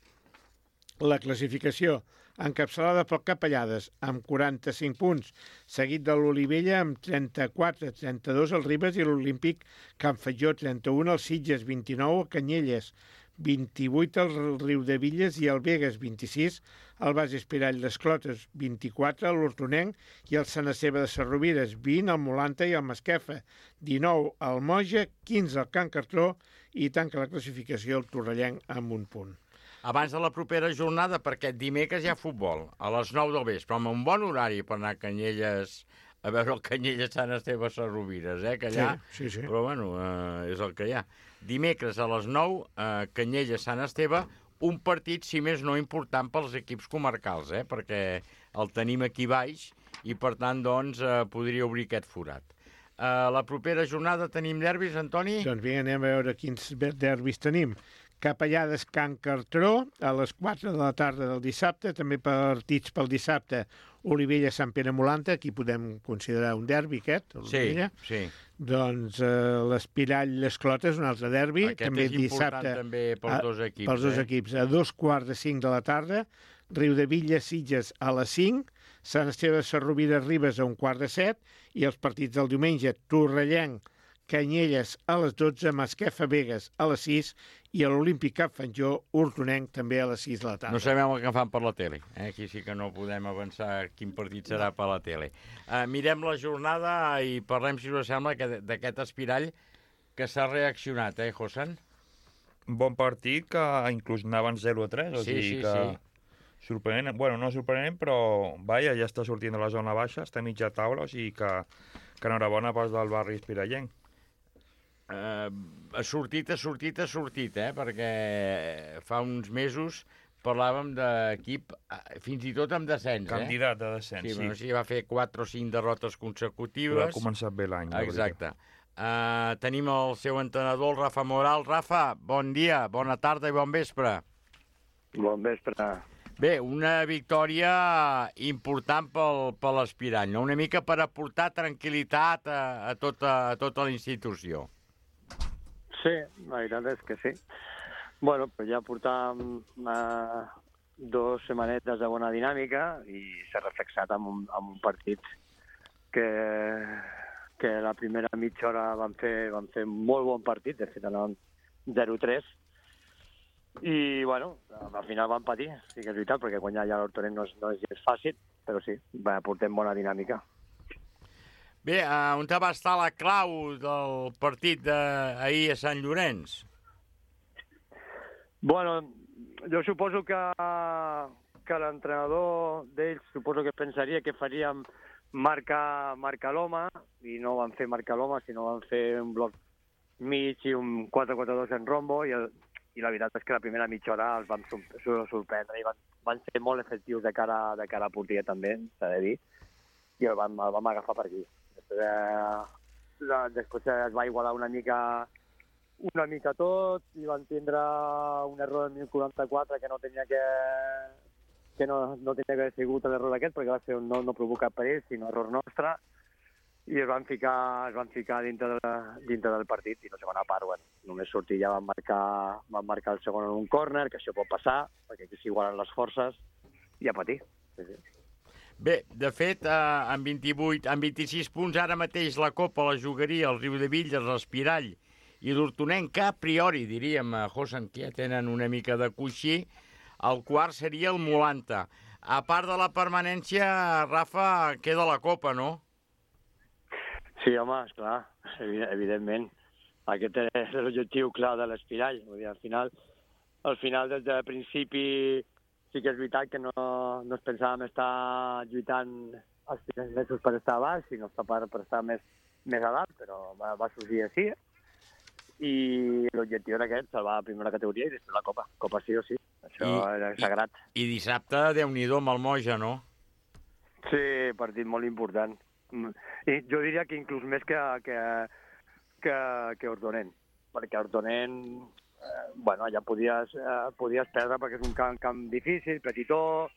La classificació, encapçalada pel Capellades, amb 45 punts, seguit de l'Olivella amb 34, 32 el Ribes i l'Olímpic Can Fatjó 31, el Sitges 29, el Canyelles 28, el Riudevilles i el Begues 26, el Bases Pirall d'Esclotes 24, l'Hortonenc i el Sant Esteve de Sarrovires 20, el Molanta i el Masquefa 19, el Moja 15, el Can Cartró i tanca la classificació el Torrellenc amb 1 punt. Abans de la propera jornada, perquè dimecres hi ha futbol, a les 9 del vespre, amb un bon horari per anar a Canyelles, a veure el Canyelles Sant Esteve Sarrovires, que allà... Sí. Però bueno, és el que hi ha. Dimecres a les 9, Canyelles Sant Esteve, un partit, si més no, important pels equips comarcals, perquè el tenim aquí baix i, per tant, doncs, podria obrir aquest forat. La propera jornada tenim derbis, Antoni? Doncs vinga, anem a veure quins derbis tenim. Capellades Can Cartró a les 4 de la tarda del dissabte, també partits pel dissabte, Olivella Sant Pere Molanta, aquí podem considerar un derbi aquest, Olivella. Sí. Doncs l'Espirall l'Esclotes, un altre derbi. Aquest també és important dissabte, també pels dos equips. Pels dos equips, a 2:45 de la tarda, Riudevilles Sitges a les 5, Sant Esteve de Sarrovires Ribes a 6:45 i els partits del diumenge, Torrellenc Canyelles a les 12, Masquefa Begues a les 6 i a l'Olímpic Cap Fatjó, Hortonenc també a les 6 de la tarda. No sabem el que fan per la tele. Aquí sí que no podem avançar quin partit serà per la tele. Mirem la jornada i parlem, si us sembla, d'aquest Espirall que s'ha reaccionat, Josan? Bon partit, que inclús anaven 0-3, o sigui que... Sorprenent, bueno, no sorprenent, però vaja, ja està sortint de la zona baixa, està a mitja taula, o sigui que enhorabona pas del barri espirallenc. Ha sortit, perquè fa uns mesos parlàvem d'equip, fins i tot amb descens. Candidat de descens, sí. Bueno, sí, va fer 4 o 5 derrotes consecutives. Ha començat bé l'any. Exacte. Tenim el seu entrenador, el Rafa Moral. Rafa, bon dia, bona tarda i bon vespre. Bon vespre. Bé, una victòria important per l'aspirant, no? Una mica per aportar tranquil·litat a tota la institució. Sí, la veritat és que sí. Bueno, però ja portàvem 2 setmanetes de bona dinàmica i s'ha reflexat en un partit que la primera mitja hora van fer molt bon partit, de fet anaven 0-3, i bueno, al final van patir, sí que és veritat, perquè guanyar ja l'Hortonet no és gens fàcil, però sí, portem bona dinàmica. Bé, on va estar la clau del partit d'ahir a Sant Llorenç? Bueno, jo suposo que l'entrenador d'ells suposo que pensaria que faríem marcar l'home, i no van fer marcar l'home, sinó van fer un bloc mig i un 4-4-2 en rombo, i la veritat és que la primera mitja hora els vam sorprendre i van ser molt efectius de cara a porteria també, s'ha de dir, i el vam agafar per aquí. Després es va igualar una mica tot i van tindre un error en 1044 que no tenia que haver sigut l'error aquest, perquè va ser no provocat per ells, sinó error nostre, i es van ficar dintre del partit, i la segona part, bueno, només sortir ja van marcar el segon en un córner, que això pot passar, perquè aquí s'igualen les forces, i a patir. Sí. Bé, de fet, amb 26 punts ara mateix la Copa la jugaria el Riudebitlles, l'Espirall i l'Hortonenc, que a priori, diríem, Josan, que ja tenen una mica de coixí, el quart seria el Molanta. A part de la permanència, Rafa, queda la Copa, no? Sí, home, esclar, evidentment. Aquest és l'objectiu clar de l'Espirall. Al final, des del principi, sí que és veritat que no ens pensàvem estar lluitant els primers mesos per estar a baix, sinó per estar més a dalt, però va sorgir així. I l'objectiu era aquest, salvar la primera categoria i després la Copa. Copa sí o sí, això era sagrat. I dissabte, Déu-n'hi-do, amb el Moja, no? Sí, partit molt important. I jo diria que inclús més que Hortonent, perquè Hortonent, bueno, allà podies perdre perquè és un camp difícil, petitó,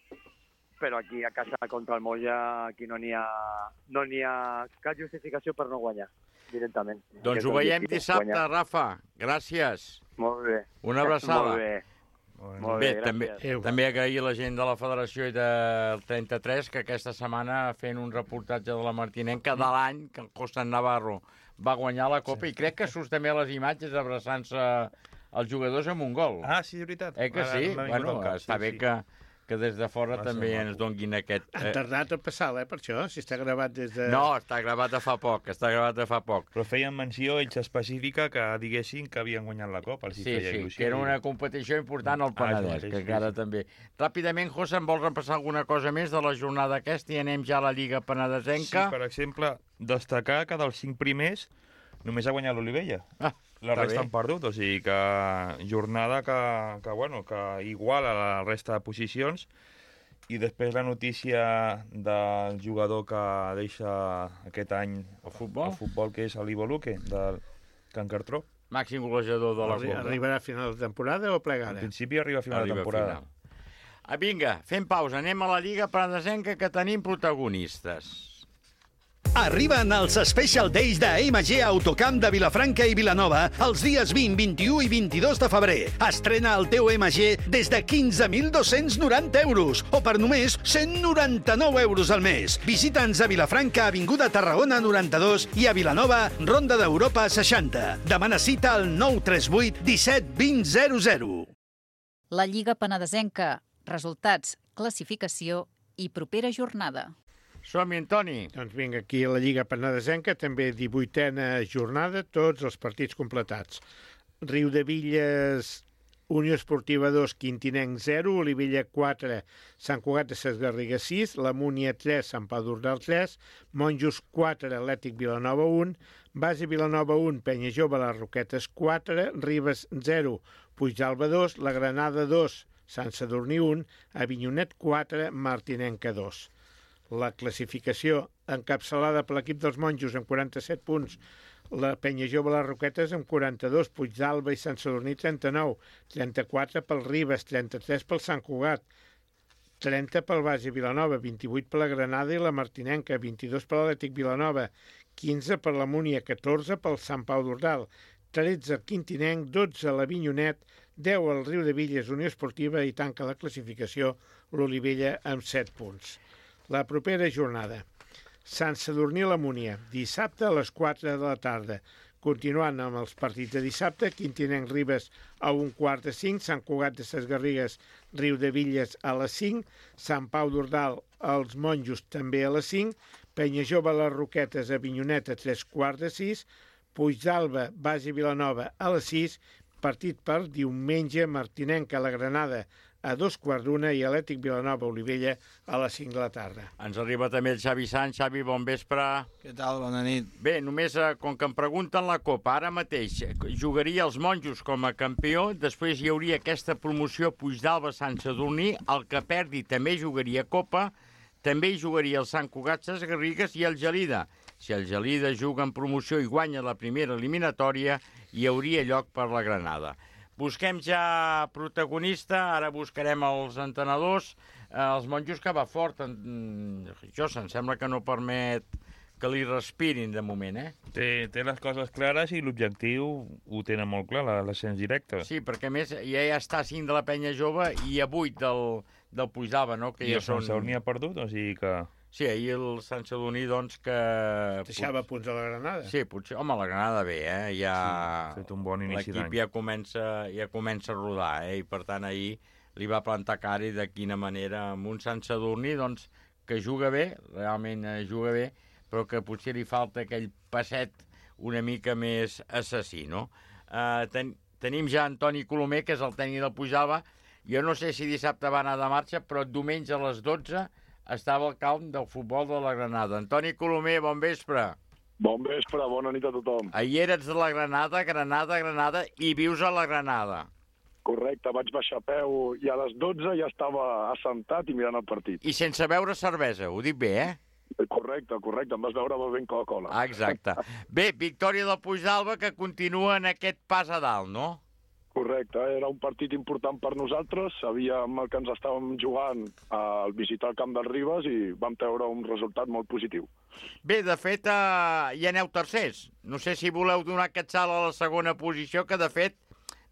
però aquí a casa contra el Moja aquí no n'hi ha cap justificació per no guanyar directament. Doncs ho veiem dissabte, Rafa. Gràcies. Molt bé. Una abraçada. Molt bé, també agrair a la gent de la Federació i del 33 que aquesta setmana fent un reportatge de la Martinenca de l'any que el Costa Navarro va guanyar la Copa, i crec que surt també a les imatges abraçant-se els jugadors amb un gol. Ah, sí, és veritat. Que sí? Bueno, està bé que des de fora també ens donguin aquest... Han tardat a passar, per això, si està gravat des de... No, està gravat de fa poc, Però feien menció, ells específica, que diguessin que havien guanyat la Copa. Sí, que era una competició important al Penedès, que encara també... Ràpidament, José, em vols repassar alguna cosa més de la jornada aquesta i anem ja a la Lliga Penedesenca? Sí, per exemple, destacar que dels 5 primers només ha guanyat l'Olivella. La resta han perdut, o sigui que jornada que iguala la resta de posicions. I després la notícia del jugador que deixa aquest any el futbol, que és l'Ivo Luque, del Can Cartró. Màxim golejador de la Copa. Arribarà a final de temporada o plegada? En principi arriba a final de temporada. Vinga, fem pausa, anem a la Lliga Penedesenca, que tenim protagonistes. Arriben els Special Days d'AMG Autocamp de Vilafranca i Vilanova els dies 20, 21 i 22 de febrer. Estrena el teu MG des de 15.290 euros o per només 199 euros al mes. Visita'ns a Vilafranca, Avinguda Tarragona 92 i a Vilanova, Ronda d'Europa 60. Demana cita al 938 17 20 00. La Lliga Penedesenca. Resultats, classificació i propera jornada. Som-hi, Antoni. Doncs vinga, aquí a la Lliga Penedesenca, també 18a jornada, tots els partits completats. Riudebitlles, Unió Esportiva 2, Quintinenc 0, Olivella 4, Sant Cugat de Ses Garrigues 6, la Múnia 3, Sant Pau d'Ordal 3, Monjos 4, Atlètic Vilanova 1, Base Vilanova 1, Penya Jove, les Roquetes 4, Ribes 0, Puigdàlber 2, la Granada 2, Sant Sadurní 1, Avinyonet 4, Martinenca 2. La classificació encapçalada per l'equip dels Monjos amb 47 punts, La Penya Jove Les Roquetes amb 42, Puigdàlber i Sant Sadurní 39, 34 pel Ribes, 33 pel Sant Cugat, 30 pel Base Vilanova, 28 per la Granada i la Martinenca, 22 per l'Atlètic Vilanova, 15 per la Múnia, 14 pel Sant Pau d'Ordal, 13 el Quintinenc, 12 l'Avinyonet, 10 el Riu de Villes Unió Esportiva i tanca la classificació l'Olivella amb 7 punts. La propera jornada. Sant Sadurní la Múnia, dissabte a les 4 de la tarda. Continuant amb els partits de dissabte, Quintinenc Ribes a 1:45, Sant Cugat de Ses Garrigues, Riu de Villes a les 5, Sant Pau d'Ordal als Monjos també a les 5, Penya Jove Les Roquetes a Avinyonet a 3:45, Puigdàlber, Base Vilanova a les 6, partit per diumenge, Martinenca a la Granada a 2:15 i Atlètic Vilanova Olivella a les 5 de la tarda. Ens arriba també el Xavi Sant. Xavi, bon vespre. Què tal? Bona nit. Bé, només com que em pregunten la Copa, ara mateix jugaria els Monjos com a campió, després hi hauria aquesta promoció Puigdàlber-Sant Sadurní, el que perdi també jugaria Copa, també hi jugaria el Sant Cugat Ses Garrigues i el Gelida. Si el Gelida juga en promoció i guanya la primera eliminatòria, hi hauria lloc per la Granada. Busquem ja protagonista, ara buscarem els entrenadors, els Monjos que va fort. Josa, em sembla que no permet que li respirin de moment, eh? Té les coses clares i l'objectiu ho tenen molt clar, l'ascens directe. Sí, perquè a més ja està a 5 de la Penya Jove i a 8 del Puigdàlber, no? Que I ja el Sant Sadurní ha perdut, o sigui que... Sí, ahir el Sant Sadurní, doncs, que... Deixava punts a la Granada. Sí, potser... Home, la Granada bé, eh? Ja... Sí, ha fet un bon inici d'any. L'equip ja comença a rodar, eh? I, per tant, ahir li va plantar cara i de quina manera amb un Sant Sadurní, doncs, que juga bé, realment juga bé, però que potser li falta aquell passet una mica més assassí, no? Tenim ja Antoni Colomer, que és el tècnic del Puigdàlber. Jo no sé si dissabte va anar de marxa, però diumenge a les 12 estava al camp del futbol de la Granada. Antoni Colomer, bon vespre. Bon vespre, bona nit a tothom. Ahir eres de la Granada, i vius a la Granada. Correcte, vaig baixar a peu i a les 12 ja estava assentat i mirant el partit. I sense beure cervesa, ho dic bé, eh? Correcte, em vas veure bevent Coca-Cola. Exacte. Bé, victòria del Puigdàlber que continua en aquest pas a dalt, no? Correcte, era un partit important per nosaltres, sabíem el que ens estàvem jugant al visitar el camp del Ribes i vam treure un resultat molt positiu. Bé, de fet, ja aneu tercers. No sé si voleu donar aquest salt a la segona posició, que de fet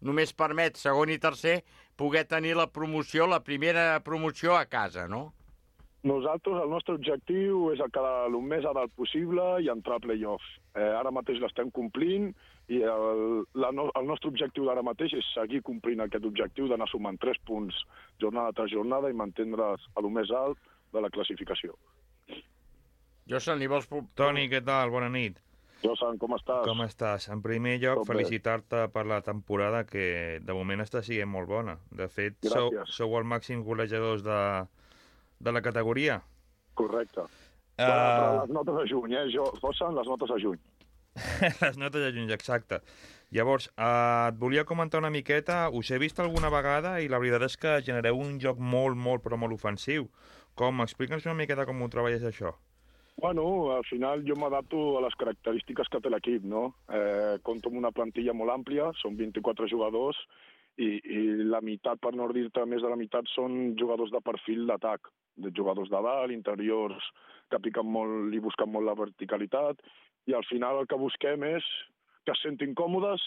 només permet segon i tercer poder tenir la promoció, la primera promoció a casa, no? Nosaltres, el nostre objectiu és quedar el més a dalt possible i entrar a play-off. Ara mateix l'estem complint i el nostre objectiu d'ara mateix és seguir complint aquest objectiu d'anar sumant 3 punts jornada tras jornada i mantindre's a lo més alt de la classificació. Josan, li vols... Toni, què tal? Bona nit. Josan, com estàs? Com estàs? En primer lloc, felicitar-te per la temporada que de moment està sent molt bona. De fet, sou el màxim golejadors de la categoria. Correcte. Però les notes a juny, Josan, les notes a juny. Les notes a juny, exacte. Llavors, et volia comentar una miqueta, us he vist alguna vegada i la veritat és que genereu un joc molt, però molt ofensiu. Explica'ns una miqueta com ho treballes això. Bueno, al final jo m'adapto a les característiques que té l'equip, no? Compto amb una plantilla molt àmplia, són 24 jugadors, i la meitat, per no dir-te més de la meitat, són jugadors de perfil d'atac, de jugadors de dalt, interiors, que piquen molt i busquen molt la verticalitat, i al final el que busquem és que es sentin còmodes,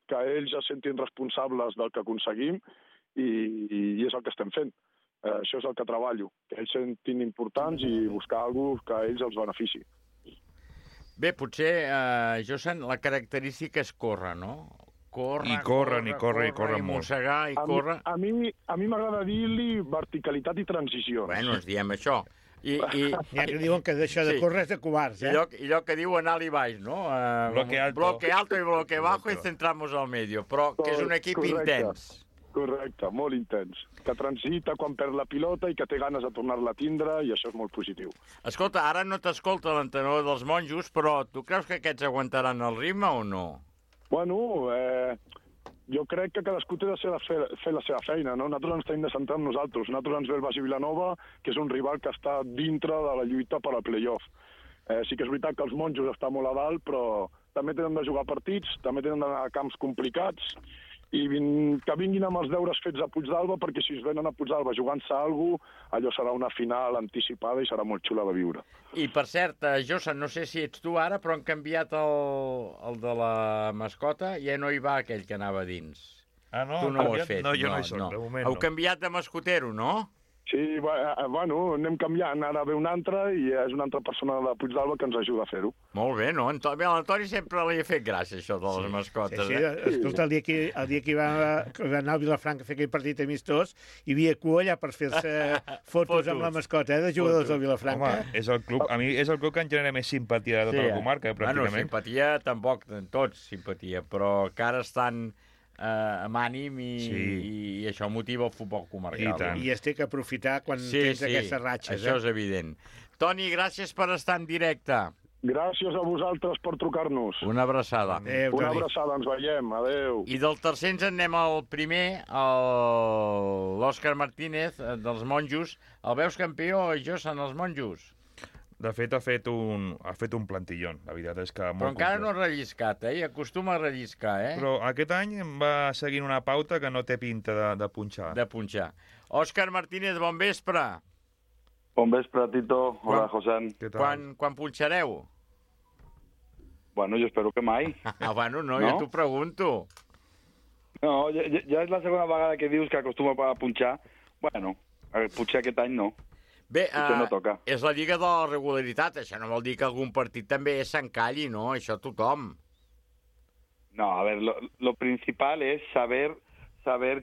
que ells es sentin responsables del que aconseguim, i és el que estem fent. Això és el que treballo, que ells sentin importants i buscar alguna cosa que a ells els benefici. Bé, potser, Josan, la característica és córrer, no? Corren molt. Mossegar i córrer. A mi m'agrada dir-li verticalitat i transició. Bueno, ens diem això. Ja que diuen que això de córrer és de covards, eh? I allò que diu anar i baix, no? Bloque alto i bloque bajo y centramos al medio, però que és un equip intens. Correcte, molt intens. Que transita quan perd la pilota i que té ganes de tornar-la a tindre, i això és molt positiu. Escolta, ara no t'escolta l'entrenador dels Monjos, però tu creus que aquests aguantaran el ritme o no? Bueno, jo crec que cadascú té de fer la seva feina, no? Nosaltres ens tenim de centrar en nosaltres. Nosaltres ens ve el Base Vilanova, que és un rival que està dintre de la lluita per al play-off. Sí que és veritat que els Monjos està molt a dalt, però també tenen de jugar partits, també tenen d'anar a camps complicats, i que vinguin amb els deures fets a Puigdàlber, perquè si es venen a Puigdàlber jugant-se alguna cosa, allò serà una final anticipada i serà molt xula de viure. I, per cert, Josa, no sé si ets tu ara, però han canviat el de la mascota, ja no hi va aquell que anava dins. Ah, no? Tu no ho has fet. No, jo no hi soc, de moment no. Heu canviat de mascotero, no? Sí, bueno, anem canviant. Ara ve un altre i és una altra persona de Puigdàlber que ens ajuda a fer-ho. Molt bé, no? L'Antoni sempre li ha fet gràcia, això de les mascotes. Sí, escolta, el dia que va anar al Vilafranca a fer aquell partit amistós, hi havia cua allà per fer-se fotos amb la mascota de jugadors del Vilafranca. Home, és el club, a mi és el club que em genera més simpatia de tota la comarca, pràcticament. Bueno, simpatia tampoc, tots simpatia, però que ara estan amb ànim i això motiva el futbol comarcal. I es té que aprofitar quan tens aquestes ratxes. Això és evident. Toni, gràcies per estar en directe. Gràcies a vosaltres per trucar-nos. Una abraçada. Una abraçada, ens veiem. Adéu. I del tercer ens en anem al primer, l'Òscar Martínez, dels Monjos. El veus campió, Josa, en els Monjos? De fet, ha fet un plantillón. La veritat és que però encara no ha relliscat, I acostuma a relliscar, Però aquest any va seguint una pauta que no té pinta de punxar. De punxar. Òscar Martínez, bon vespre. Bon vespre, Tito. Hola, José. Quan punxareu? Bueno, jo espero que mai. Bueno, no, jo t'ho pregunto. No, ja és la segona vegada que dius que acostuma a punxar. Bueno, potser aquest any no. Bé, no toca. És la lliga de la regularitat, això no vol dir que algun partit també s'encalli, no? Això tothom. No, a ver, lo principal es saber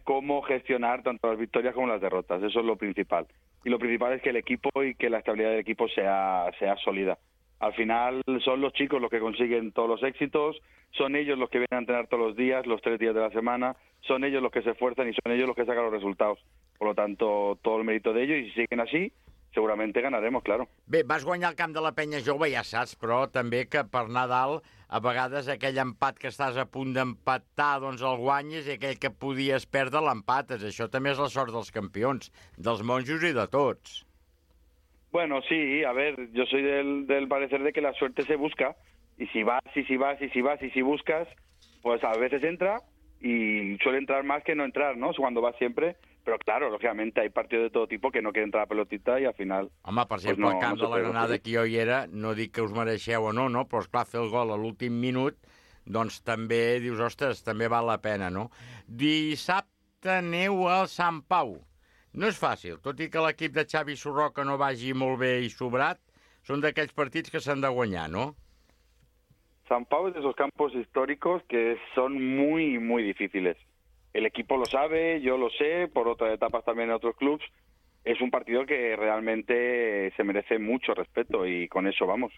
cómo gestionar tanto las victorias como las derrotas, eso es lo principal. Y lo principal es que el equipo y que la estabilidad del equipo sea sólida. Al final son los chicos los que consiguen todos los éxitos, son ellos los que vienen a entrenar todos los días, los 3 días de la semana, son ellos los que se esfuerzan y son ellos los que sacan los resultados. Por lo tanto, todo el mérito de ellos, y si siguen así, seguramente ganaremos, claro. Bé, vas guanyar el camp de la Penya Jove, ja saps, però també que per Nadal, a vegades aquell empat que estàs a punt d'empatar, doncs el guanyes, i aquell que podies perdre l'empates. Això també és la sort dels campions, dels monjos i de tots. Bueno, sí, a ver, yo soy del parecer de que la suerte se busca, y si vas buscas, pues a veces entra, y suele entrar más que no entrar, ¿no? Cuando vas siempre. Pero claro, lógicamente hay partidos de todo tipo que no quieren entrar a pelotita i al final... Home, per exemple, el camp de la Granada que jo hi era, no dic que us mereixeu o no, però esclar, fer el gol a l'últim minut, doncs també dius, ostres, també val la pena, no? Dissabte aneu al Sant Pau. No és fàcil, tot i que l'equip de Xavi Sorroca no vagi molt bé i sobrat, són d'aquells partits que s'han de guanyar, no? Sant Pau es de esos campos históricos que son muy, muy difíciles. El equipo lo sabe, yo lo sé, por otras etapas también en otros clubs. Es un partido que realmente se merece mucho respeto y con eso vamos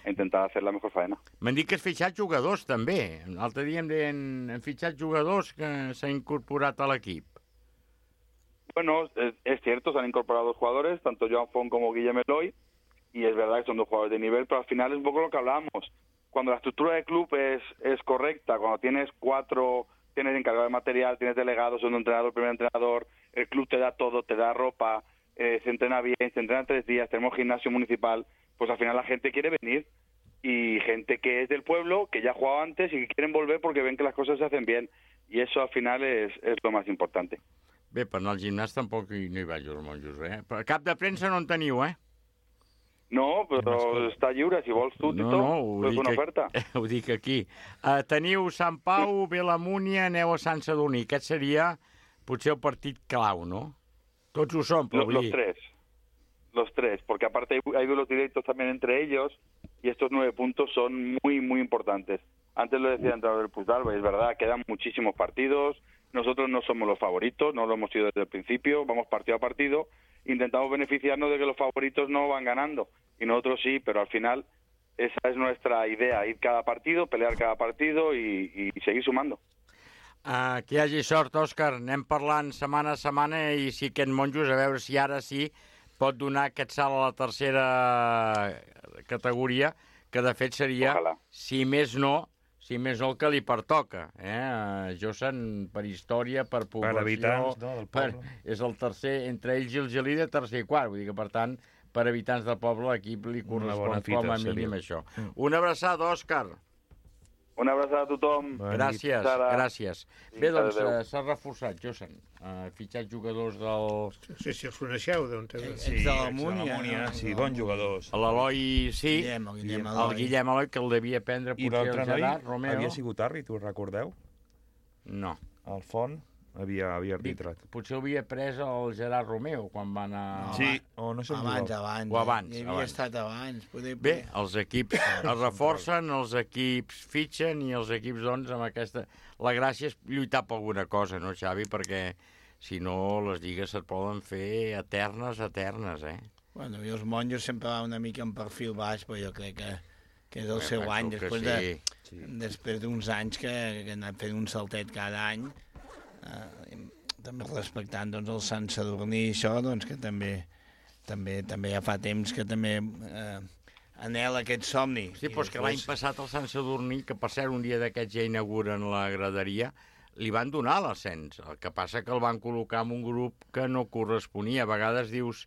a intentar hacer la mejor faena. M'han dit que has fitxat jugadors també. L'altre dia em deien, hem fitxat jugadors que s'han incorporat a l'equip. Bueno, es cierto, se han incorporado jugadores, tanto Joan Font como Guillem Eloy, y es verdad que son 2 jugadores de nivel, pero al final es un poco lo que hablábamos. Cuando la estructura del club es correcta, cuando tienes 4... Tienes encargado de material, tienes delegados, segundo entrenador, primer entrenador, el club te da todo, te da ropa, se entrena bien, se entrena 3 días, tenemos gimnasio municipal, pues al final la gente quiere venir, y gente que es del pueblo, que ya ha jugado antes y que quieren volver porque ven que las cosas se hacen bien, y eso al final es lo más importante. Bé, per anar al gimnàs tampoc no hi vaig als monjos, Per cap de premsa no en teniu, No, però està lliure, si vols tu, Tito, és una oferta. Ho dic aquí. Teniu Sant Pau, Vilamúnia, aneu a Sant Sadurní. Aquest seria potser el partit clau, ¿no? Tots ho són, però Los tres, porque aparte hay duelos directos también entre ellos, y estos 9 puntos son muy, muy importantes. Antes lo decía el entrenador del Puigdàlber, es verdad, quedan muchísimos partidos, nosotros no somos los favoritos, no lo hemos sido desde el principio, vamos partido a partido, intentamos beneficiarnos de que los favoritos no van ganando, y nosotros sí, pero al final esa es nuestra idea, ir cada partido, pelear cada partido y seguir sumando. Que hi hagi sort, Òscar. Anem parlant setmana a setmana, i si aquest monjos, a veure si ara sí pot donar aquest salt a la tercera categoria, que de fet seria, si més no el que li pertoca. Josan, per història, per població... Per habitants, no, del poble. És el tercer, entre ells i el Gelida, tercer i quart. Vull dir que, per tant, per habitants del poble, l'equip li correspon com a mínim això. Una abraçada, Òscar. Una abraçada a tothom. Gràcies. Bé, doncs s'ha reforçat, Josan. Fitxat jugadors del... No sé si els coneixeu, d'on té... Sí, de la Múnia, sí, bons jugadors. L'Eloi, sí. El Guillem Eloi, que el devia prendre potser el Gerard Romeo. Havia sigut àrbit, us recordeu? No. El Font havia arbitrat. Potser havia pres el Gerard Romeo quan va anar... Sí, o no sé on abans. Hi havia estat abans. Bé, els equips es reforcen, els equips fitxen i els equips, doncs, amb aquesta... La gràcia és lluitar per alguna cosa, no, Xavi? Perquè, si no, les lligues se't poden fer eternes, eh? Bueno, i els monjos sempre va una mica en perfil baix, però jo crec que és el seu any, després d'uns anys que ha anat fent un saltet cada any, també respectant doncs, el Sant Sadurní i això, doncs, que també ja fa temps que també anhela aquest somni. Sí, però és que l'any passat el Sant Sadurní, que per cert un dia d'aquests ja inauguren la graderia, li van donar l'ascens. El que passa que el van col·locar en un grup que no corresponia. A vegades dius,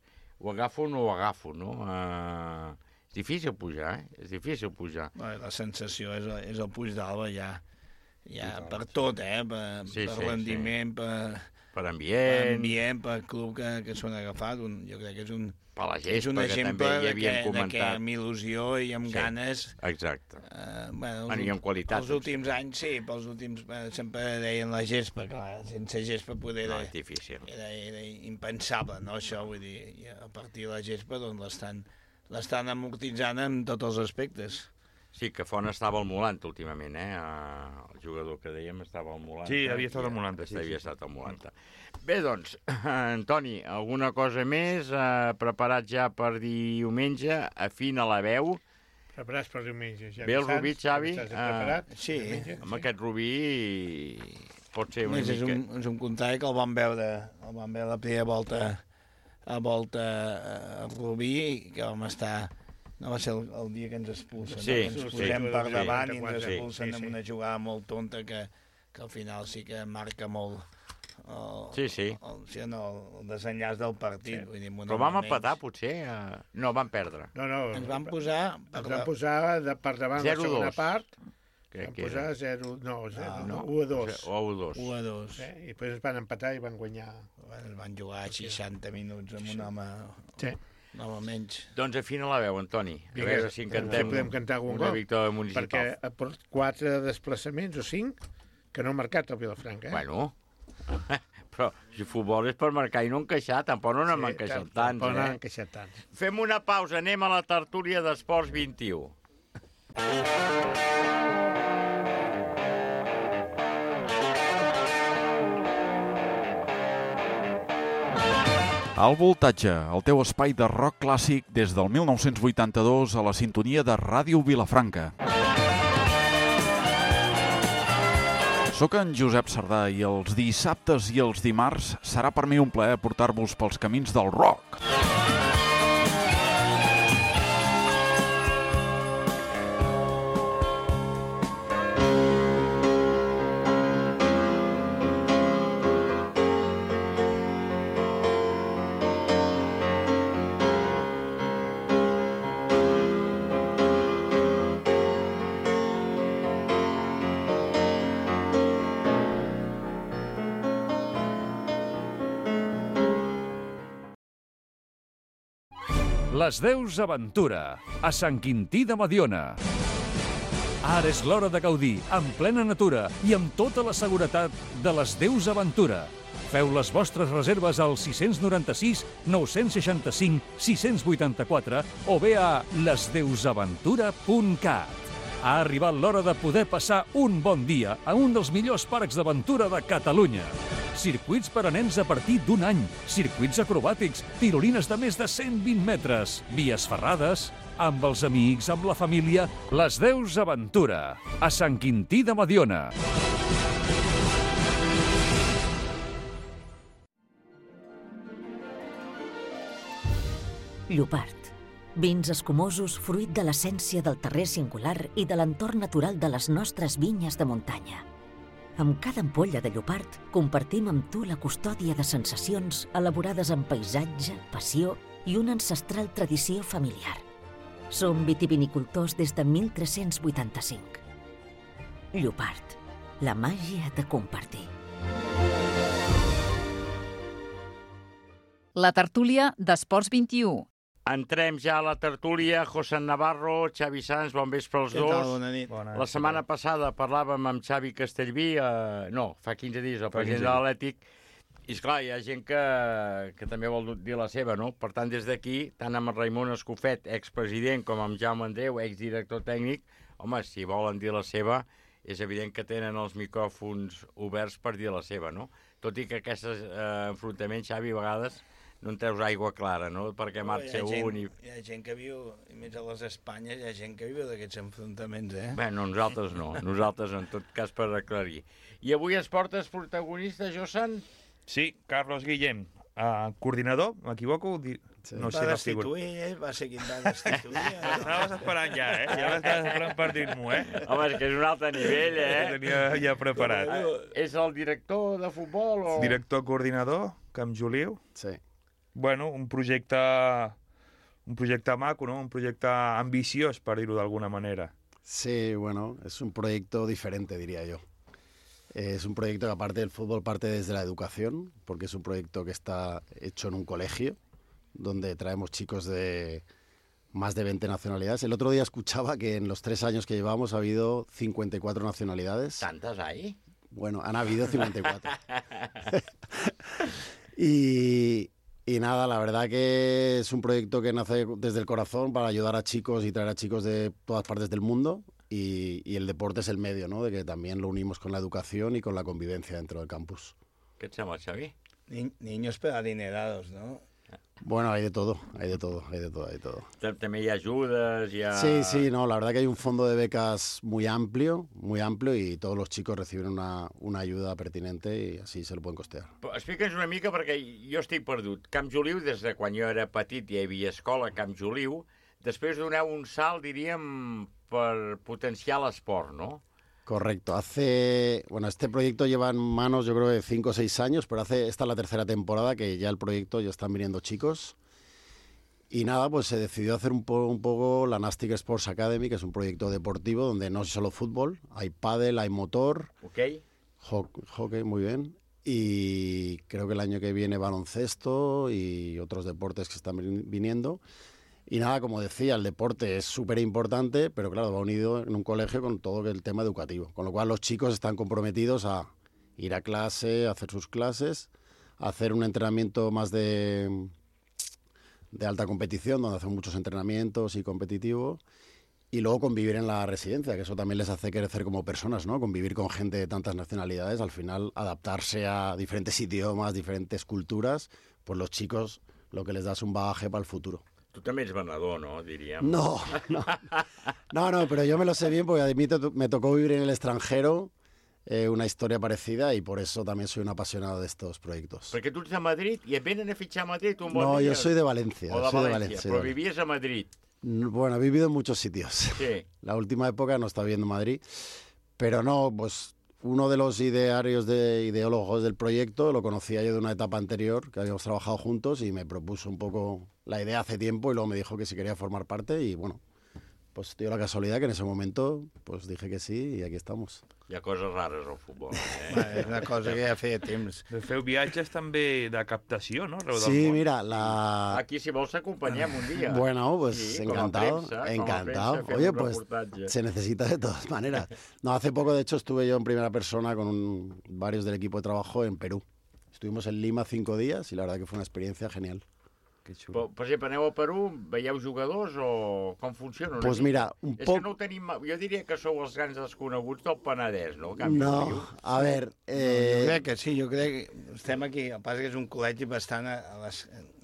ho agafo o no ho agafo, no? És difícil pujar, És difícil pujar. La sensació és el Puig d'Alba ja per tot, per rendiment, per ambient, per club que s'ho han agafat. Jo crec que és un exemple que amb il·lusió i amb ganes... Exacte. I amb qualitat. Els últims anys, sí, pels últims... Sempre deien la gespa, clar, sense gespa poder... No, és difícil. Era impensable, no, això, vull dir, i a partir de la gespa doncs l'estan amortitzant en tots els aspectes. Sí, que Font estava al Molant últimament, el jugador que dèiem estava al Molant. Sí, havia estat al Molant. Havia estat al Molant. Bé, doncs, Antoni, alguna cosa més? Preparat ja per diumenge? Afina la veu? Preparats per diumenge. Ja bé el Rubí, Xavi? Sí. Amb aquest Rubí pot ser una mica... És un contrari que el vam veure la primera volta a Rubí, que vam estar... No va ser el dia que ens expulsen. Ens posem per davant i ens expulsen amb una jugada molt tonta que al final sí que marca molt el desenllaç del partit. Vull dir, però vam empatar, potser? No, vam perdre. No. Ens van posar per davant la segona part. Vam posar 1-2. O 1-2. I després ens van empatar i van guanyar. Ens van jugar 60 minuts amb un home... Sí. No, almenys. Doncs afina la veu, Antoni. A veure si cantem una victòria municipal. Perquè porta 4 desplaçaments o 5 que no ha marcat el Vilafranca. Bueno, però si futbol és per marcar i no encaixar, tampoc no n'hem encaixat tants. Tampoc no n'hem encaixat tants. Fem una pausa, anem a la tertúlia d'Esports 21. Al Voltatge, el teu espai de rock clàssic des del 1982 a la sintonia de Ràdio Vilafranca. Soc en Josep Sardà i els dissabtes i els dimarts serà per mi un plaer portar-vos pels camins del rock. Les Deus Aventura, a Sant Quintí de Mediona. Ara és l'hora de gaudir, en plena natura i amb tota la seguretat de les Deus Aventura. Feu les vostres reserves al 696 965 684 o bé a lesdeusaventura.cat. Ha arribat l'hora de poder passar un bon dia a un dels millors parcs d'aventura de Catalunya. Circuits per a nens a partir d'un any, circuits acrobàtics, tirolines de més de 120 metres, vies ferrades, amb els amics, amb la família, les Deus Aventura, a Sant Quintí de Mediona. Llopart. Vins escumosos fruit de l'essència del terrer singular i de l'entorn natural de les nostres vinyes de muntanya. Amb cada ampolla de Llopart compartim amb tu la custòdia de sensacions elaborades amb paisatge, passió i una ancestral tradició familiar. Som vitivinicultors des de 1385. Llopart, la màgia de compartir. La tertúlia d'Esports 21. Entrem ja a la tertúlia. José Navarro, Xavi Sanz, bon vespre als dos. Què tal? Bona nit. La setmana passada parlàvem amb Xavi Castellví, fa 15 dies, el president de l'Atlètic, i esclar, hi ha gent que també vol dir la seva, no? Per tant, des d'aquí, tant amb Raimon Escofet, expresident, com amb Jaume Andreu, exdirector tècnic, home, si volen dir la seva, és evident que tenen els micròfons oberts per dir la seva, no? Tot i que aquests enfrontaments, Xavi, a vegades no en treus aigua clara, no? Perquè marxa un i... Hi ha gent que viu, i més a les Espanyes, hi ha gent que viu d'aquests enfrontaments, Bé, no, nosaltres no. Nosaltres, en tot cas, per aclarir. I avui es portes protagonista, Josan? Sí, Carlos Guillem, coordinador, m'equivoco? No sé, va destituir, va ser qui va destituir. Anaves esperant ja, Ja l'estaves esperant per dir-m'ho, Home, és que és un altre nivell, Ho tenia ja preparat. És el director de futbol o...? Director coordinador, Camp Joliu. Sí. Bueno, un projecte maco, ¿no? Un projecte ambiciós, per dir-ho d'alguna manera. Sí, bueno, es un proyecto diferente, diría yo. Es un proyecto que aparte del fútbol parte desde la educación, porque es un proyecto que está hecho en un colegio, donde traemos chicos de más de 20 nacionalidades. El otro día escuchaba que en los 3 años que llevamos ha habido 54 nacionalidades. ¿Tantas hay? Bueno, han habido 54. Y nada, la verdad que es un proyecto que nace desde el corazón para ayudar a chicos y traer a chicos de todas partes del mundo y el deporte es el medio, ¿no? De que también lo unimos con la educación y con la convivencia dentro del campus. ¿Qué te llama, Xavi? Niños pero adinerados, ¿no? Bueno, hay de todo. También hay ayudas, Sí, no, la verdad que hay un fondo de becas muy amplio y todos los chicos reciben una ayuda pertinente y así se lo pueden costear. Explica'ns una mica, perquè jo estic perdut. Camp Joliu, des de quan jo era petit hi havia escola a Camp Joliu, després doneu un salt, diríem, per potenciar l'esport, no? Correcto. Este proyecto lleva en manos yo creo de 5 o 6 años, pero esta es la 3ª temporada que ya el proyecto ya están viniendo chicos. Y nada, pues se decidió hacer un poco la Nastic Sports Academy, que es un proyecto deportivo donde no es solo fútbol, hay pádel, hay motor, hockey, muy bien. Y creo que el año que viene baloncesto y otros deportes que están viniendo. Y nada, como decía, el deporte es súper importante, pero claro, va unido en un colegio con todo el tema educativo. Con lo cual los chicos están comprometidos a ir a clase, a hacer sus clases, a hacer un entrenamiento más de alta competición, donde hacen muchos entrenamientos y competitivo, y luego convivir en la residencia, que eso también les hace crecer como personas, ¿no? Convivir con gente de tantas nacionalidades, al final adaptarse a diferentes idiomas, diferentes culturas, pues los chicos lo que les da es un bagaje para el futuro. Tu també ets venedor, no? Diríem. No, pero yo me lo sé bien porque a mí me tocó vivir en el extranjero una historia parecida y por eso también soy un apasionado de estos proyectos. Perquè tu ets de Madrid i et venen a fitxar a Madrid un bon No, dia. yo soy de Valencia. O de València, però vivies a Madrid. Bueno, he vivido en muchos sitios. Sí. La última época no estaba viviendo en Madrid, pero no, pues uno de los ideólogos del proyecto lo conocía yo de una etapa anterior, que habíamos trabajado juntos y me propuso un poco la idea hace tiempo y luego me dijo que si quería formar parte y bueno, pues dio la casualidad que en ese momento pues dije que sí y aquí estamos. Hi ha coses rares al futbol. És una cosa que ja feia temps. Feu viatges també de captació, no? Sí, mira, Aquí si vols t'acompanyem un dia. Bueno, pues sí, encantado, encantado. Oye, pues se necesita de todas maneras. No, hace poco de hecho estuve yo en primera persona con varios del equipo de trabajo en Perú. Estuvimos en Lima 5 días y la verdad que fue una experiencia genial. Però, per exemple, aneu a Perú, veieu jugadors o com funciona? Pues mira, un És poc... que no ho tenim... Jo diria que sou els grans desconeguts del Penedès, no? No, a ver... Jo crec que sí, jo crec que estem aquí, el que passa que és un col·legi bastant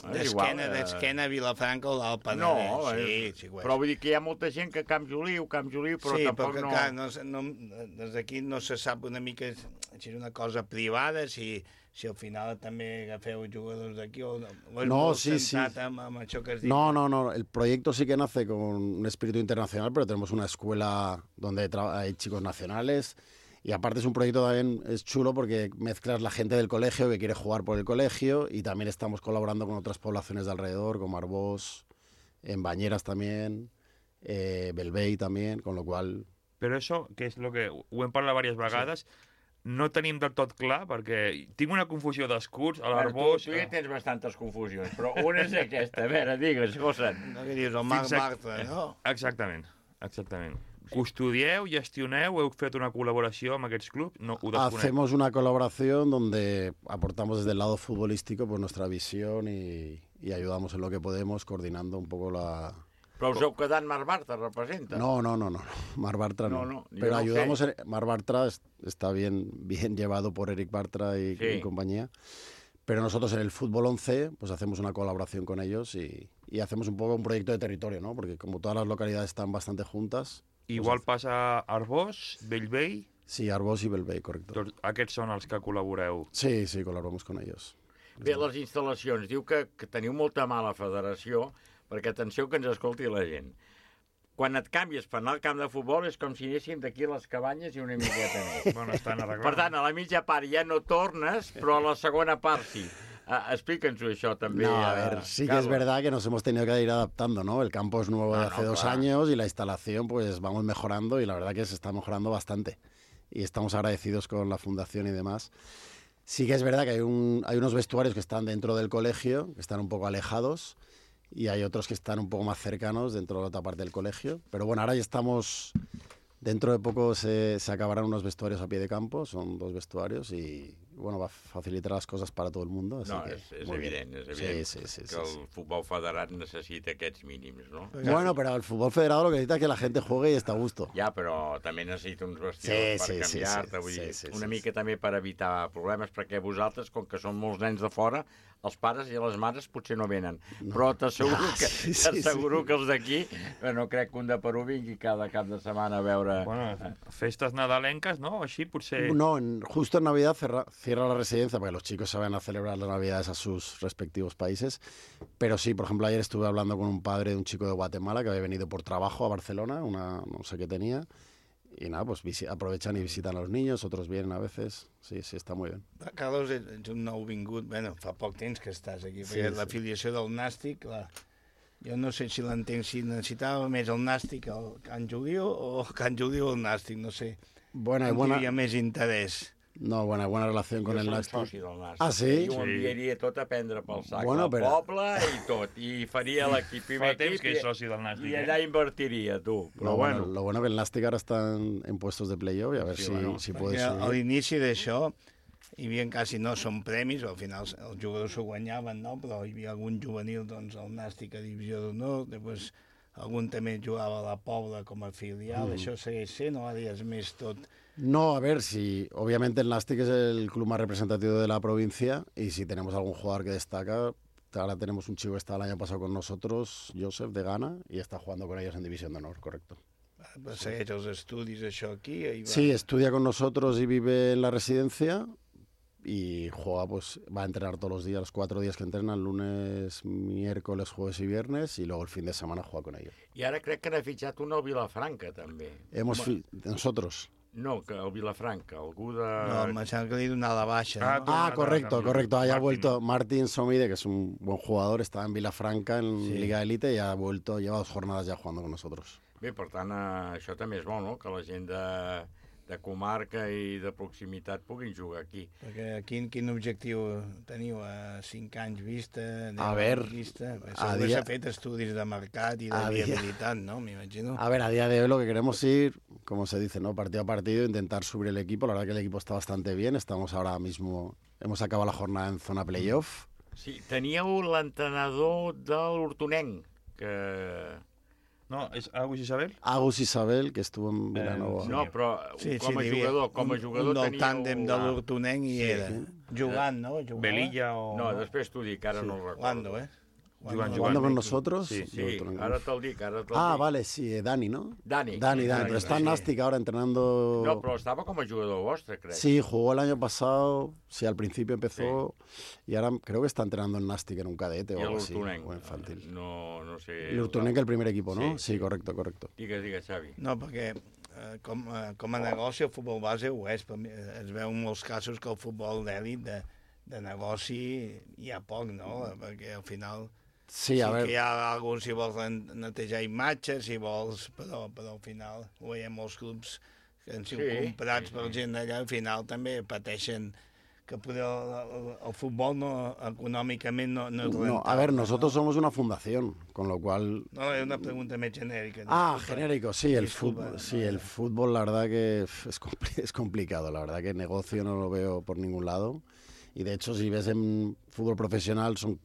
d'esquena a Vilafranca o del Penedès. No, sí, però vull dir que hi ha molta gent que Camp Joliu, però sí, tampoc però que, clar, des d'aquí no se sap una mica si és una cosa privada, si al final també agafeu jugadors d'aquí o és molt centrat amb això que has dit. No, el proyecto sí que nace con un espíritu internacional, pero tenemos una escuela donde hay chicos nacionales y aparte es un proyecto también, es chulo porque mezclas la gente del colegio que quiere jugar por el colegio y también estamos colaborando con otras poblaciones de alrededor, como Arbós, en Bañeras también, Belvei también, con lo cual Però això, que és el que ho hem parlat diverses vegades, no tenim del tot clar, perquè tinc una confusió d'escuts, a l'Arbós... Tu ja tens bastantes confusions, però una és aquesta. A veure, digues, Gossen. No, que dius, el Marc Bartra, no? Exactament. Custodieu, gestioneu, heu fet una colaboració amb aquests clubs? No, ho desconec. Hacemos una colaboración donde aportamos desde el lado futbolístico pues nuestra visión y ayudamos en lo que podemos, coordinando un poco la... Però us heu quedat Marc Bartra, representa? No. Marc Bartra no. Pero ayudamos... Marc Bartra está bien llevado por Eric Bartra y compañía. Pero nosotros en el Fútbol 11 pues hacemos una colaboración con ellos y hacemos un poco un proyecto de territorio, ¿no? Porque como todas las localidades están bastante juntas... Igual pues, passa Arbós, Bellvei... Sí, Arbós i Bellvei, correcte. Doncs aquests són els que col·laboreu. Sí, colaboramos con ellos. Bé, les instal·lacions. Diu que teniu molta mala federació, perquè atenció que ens escolti la gent. Quan et canvies per anar al camp de futbol és com si anéssim d'aquí a les cabanyes i una miqueta més. Bueno, estan arreglant. Per tant, a la mitja part ja no tornes, però a la segona part sí. Explícanos això també. No, a ver, sí que es verdad que nos hemos tenido que ir adaptando, ¿no? El campo es nuevo de hace 2 años y la instalación pues vamos mejorando y la verdad que se está mejorando bastante. Y estamos agradecidos con la fundación y demás. Sí que es verdad que hay unos vestuarios que están dentro del colegio, que están un poco alejados, y hay otros que están un poco más cercanos dentro de la otra parte del colegio. Pero bueno, ahora ya estamos... Dentro de poco se acabarán unos vestuarios a pie de campo, son 2 vestuarios y bueno, va a facilitar las cosas para todo el mundo. Así que, és evident, sí, que el futbol federat necessita aquests mínims, no? Bueno, pero el fútbol federado lo que necesita es que la gente juegue y está a gusto. Ja, però també necessita uns vestidors per canviar-te, vull dir, una mica també per evitar problemes, perquè vosaltres, com que són molts nens de fora, els pares i les mares potser no venen, però t'asseguro que els d'aquí, no crec que un de Perú vingui cada cap de setmana a veure... Bueno, festes nadalenques, ¿no? Així potser... No, justo en Navidad cierra la residencia porque los chicos se van a celebrar las Navidades a sus respectivos países, pero sí, por ejemplo, ayer estuve hablando con un padre de un chico de Guatemala que había venido por trabajo a Barcelona, no sé qué tenía, y nada, pues aprovechan y visitan a los niños, otros vienen a veces, sí, està molt bé. Carlos, ets un nou vingut, bueno, fa poc temps que estàs aquí, perquè l'afiliació del Nàstic, jo no sé si l'entenc, si necessitava més el Nàstic el Can Juliu o Can Juliu el Nàstic, no sé. Bueno, hi havia més interès. No, buena relación con el Nàstic. Jo soci del Nàstic. Ah, sí? I ho enviaria tot a prendre pel sac, el poble i tot, i faria l'equip, primer equip, que és soci del Nàstic, i allà invertiria, tu. Però bueno. Lo bueno que el Nàstic ara està en puestos de playoff i a veure si puede subir. A l'inici d'això hi havia quasi no són premis, al final els jugadors s'ho guanyaven, no? Però hi havia algun juvenil, doncs, al Nàstic a Divisió d'Honor, després algun també jugava a la Pobla com a filial, això segueix sent, o ara ja és més tot... No, a ver, si obviamente el Nàstic es el club más representativo de la provincia y si tenemos algún jugador que destaca, ahora tenemos un chico que estaba el año pasado con nosotros, Joseph, de Ghana, y está jugando con ellos en División de Honor, correcto. ¿Segueix els estudis això aquí? Sí, estudia con nosotros y vive en la residencia y juega, pues va a entrenar todos los días, los 4 días que entrenan, lunes, miércoles, jueves y viernes, y luego el fin de semana juega con ellos. I ara crec que n'ha fitxat un al Vilafranca, també. Nosotros. No, que el Vilafranca, algú de... No, me sembla que li ha donat la baixa. Ah, correcto. Ahí ha vuelto Martín Somide, que es un buen jugador, estaba en Vilafranca, en Liga Elite, y ha vuelto, lleva 2 jornadas ya jugando con nosotros. Bé, per tant, això també és bo, no?, que la gent de comarca i de proximitat puguin jugar aquí. Perquè quin objectiu teniu a 5 anys vista, a ver, vista? S'ha fet estudis de mercat i de viabilitat, ¿no? Me imagino. A ver, a día de hoy lo que queremos ir, como se dice, ¿no?, partido a partido, intentar subir el equipo. La verdad que el equipo está bastante bien, estamos ahora mismo, hemos acabado la jornada en zona playoff. Sí, teníeu l'entrenador de l'Hortonenc, que... No, és Agus Isabel? Agus Isabel, que estuvo en Vilanova. No, però com a jugador un del tàndem de l'Hortonenc i era jugant, no? Belilla o... No, després t'ho dic, ara no ho recordo. ¿Jugando con nosotros? Sí, ahora te lo dic. Vale, sí, Dani, ¿no? Dani. Pero está en Nàstic ahora entrenando... No, pero estaba como jugador vostre, creo. Sí, jugó el año pasado, sí, al principio empezó, y ahora creo que está entrenando en Nàstic en un cadete o algo así, o infantil. No sé... L'Hortonenc, el primer equipo, ¿no? Sí, correcto. Digues, Xavi. No, perquè com a negoci el futbol base ho és. Es veu en molts casos que el futbol d'èlit, de negoci, hi ha poc, no? Perquè al final... Sí, a sí veure... que hi ha alguns, si vols netejar imatges, si vols, però al final ho veiem molts clubs que han sigut comprats per gent d'allà, al final també pateixen que poder el futbol econòmicament no es rentable. No, a ver, nosotros somos una fundación, con lo cual... No, es una pregunta más genérica. Genérico, sí, el fútbol la verdad que es complicado, la verdad que negocio no lo veo por ningún lado, y de hecho si ves en fútbol profesional son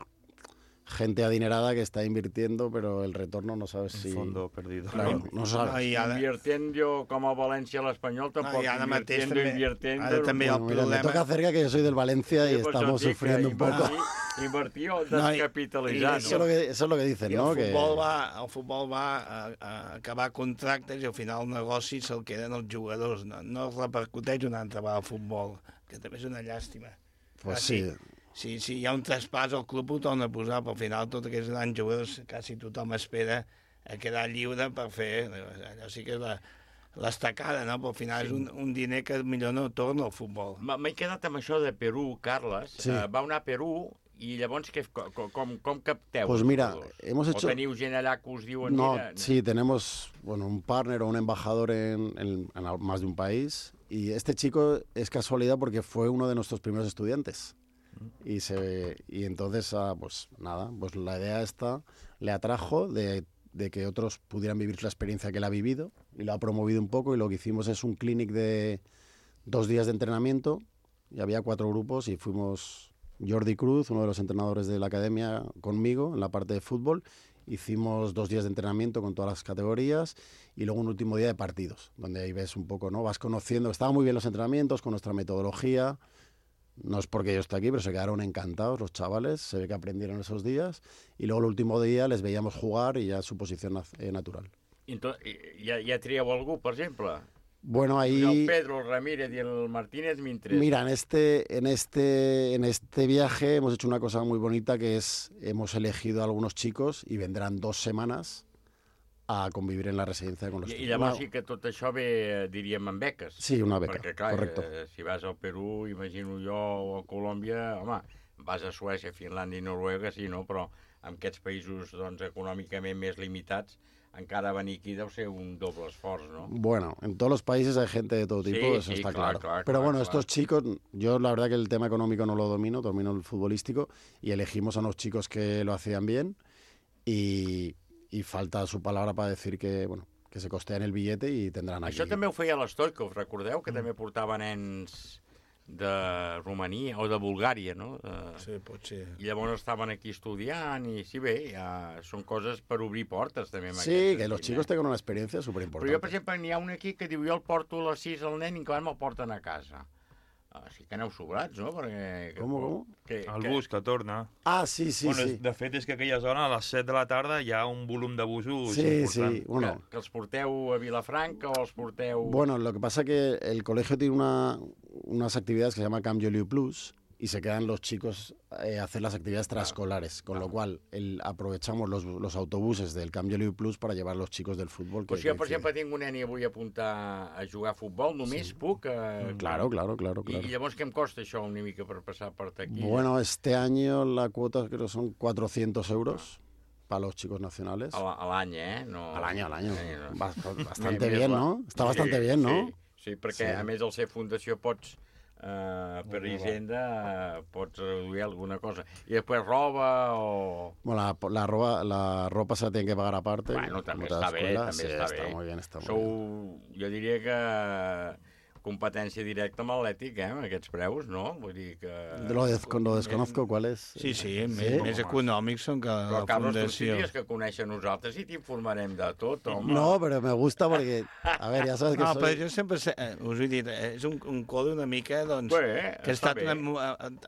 gente adinerada que está invirtiendo, pero el retorno no sabes si... fondo perdido. Claro, no sabes. Invirtiendo yo como Valencia al Español, tampoco invirtiendo. Mira, me toca cerca que yo soy del Valencia y estamos sufriendo un poco. Invertir o descapitalitzar. Eso es lo que dicen, I ¿no? El futbol va a acabar contractes i al final el negoci se'l queden els jugadors. No repercuteix una altra vegada al futbol, que també és una llàstima. Pues sí. Si hi ha un traspàs, el club ho torna a posar, però al final tots aquests grans jugadors quasi tothom espera a quedar lliure per fer... Allò sí que és l'estacada, no? Però al final és un diner que millor no torna al futbol. M'he quedat amb això de Perú, Carles. Sí. Va anar a Perú i llavors com capteu? Pues mira, hemos hecho... ¿O teniu gent allà que us diuen... No, mira, sí, tenemos un partner o un embajador en más de un país, y este chico es casualidad porque fue uno de nuestros primeros estudiantes. Y entonces, pues nada, pues la idea esta le atrajo de que otros pudieran vivir la experiencia que él ha vivido, y lo ha promovido un poco, y lo que hicimos es un clinic de 2 días de entrenamiento, y había 4 grupos, y fuimos Jordi Cruz, uno de los entrenadores de la academia, conmigo en la parte de fútbol. Hicimos 2 días de entrenamiento con todas las categorías y luego un último día de partidos, donde ahí ves un poco, ¿no? Vas conociendo, estaban muy bien los entrenamientos con nuestra metodología. No es porque yo esté aquí, pero se quedaron encantados los chavales, se ve que aprendieron esos días, y luego el último día les veíamos jugar y ya su posición natural. ¿Ya trieu algú, por ejemplo? Bueno, ahí... El Pedro, el Ramírez y el Martínez mientras... Mira, en este viaje hemos hecho una cosa muy bonita, que es, hemos elegido a algunos chicos y vendrán 2 semanas a convivir en la residencia con los chicos. I llavors sí que tot això ve, diríem, amb beques. Sí, una beca, perquè, clar, correcto. Si vas al Perú, imagino jo, o a Colòmbia, home, vas a Suècia, Finlàndia i Noruega, sí, no? Però en aquests països doncs, econòmicament més limitats, encara venir aquí deu ser un doble esforç, ¿no? Bueno, en todos los países hay gente de todo tipo, sí, eso sí, está claro. Pero bueno, estos chicos, yo la verdad que el tema económico no lo domino el futbolístico, y elegimos a unos chicos que lo hacían bien, y falta su palabra para decir que, bueno, que se costean el billete i tindran aquí. Això també ho feia l'Stoikov, recordeu? Que també portava nens de Romania o de Bulgària, no? Sí, potser. I llavors estaven aquí estudiant i sí, bé, ja són coses per obrir portes també. Sí, que los chicos tengan una experiencia superimportante. Però jo, per exemple, n'hi ha un aquí que diu jo el porto a les 6 al nen i que me'l porten a casa. Sí que aneu sobrats, no? Perquè, Com? El bus que torna. Ah, sí. Bueno, de fet, és que aquella zona, a les 7 de la tarda, hi ha un volum de busos important. Sí, bueno. Que els porteu a Vilafranca o els porteu... Bueno, lo que pasa es que el colegio tiene unas actividades que se llama Camp Joliu Plus, y se quedan los chicos a hacer las actividades transescolares, con lo cual aprovechamos los autobuses del Camp Joliu Plus para llevar a los chicos del fútbol. Pues si jo, per exemple, tinc un nen i vull apuntar a jugar a futbol, només puc... Claro. I llavors què em costa això una mica per passar per aquí? Bueno, este año la cuota creo que son 400 euros para los chicos nacionales. A l'any, no... Al año. Bastante bien, ¿no? Está bastante bien, ¿no? Sí, perquè a més al ser fundació pots... per Hisenda pots reduir alguna cosa. I després roba o... Bueno, la ropa se la tienen que pagar aparte. Bueno, també està bé, Está muy bien. Jo diria que competència directa amb l'Atlètic, amb aquests preus, no? Vull dir que... Lo desconozco, ¿cuál es? Sí, més econòmics són que la fundació. Però, Carlos, tu tindries que conèixer nosaltres i t'informarem de tot, home. No, pero me gusta porque... A ver, ya sabes que soy... No, però jo sempre us he dit, és un codi una mica, doncs, que he estat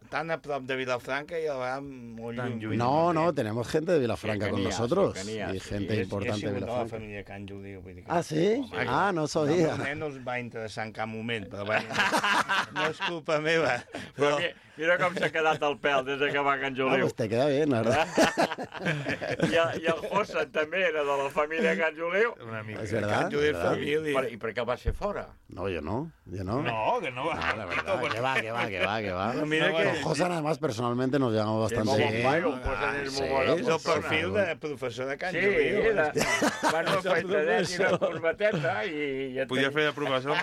tan a prop de Vilafranca i a la molt lluny. No, tenemos gente de Vilafranca con nosotros. Y gente importante de Vilafranca. La família Can Juliu. Ah, sí? Ah, no sabia. El nen us va interessar en cap moment moment, però bueno, no és culpa meva. Però mira com s'ha quedat el pèl des que va Can Juliu. Pues te queda bien, la verdad. I el José també era de la família Can Juliu. Una mica. Es verdad. I per què el va ser fora? No, yo no. No, que no va. No, la verdad, que va. Mira que... Con José, además, personalmente nos llevamos bastante bien. És el perfil de professor de Can Juliu. Sí, van una feitadet i una corbateta i... Podia fer de professor.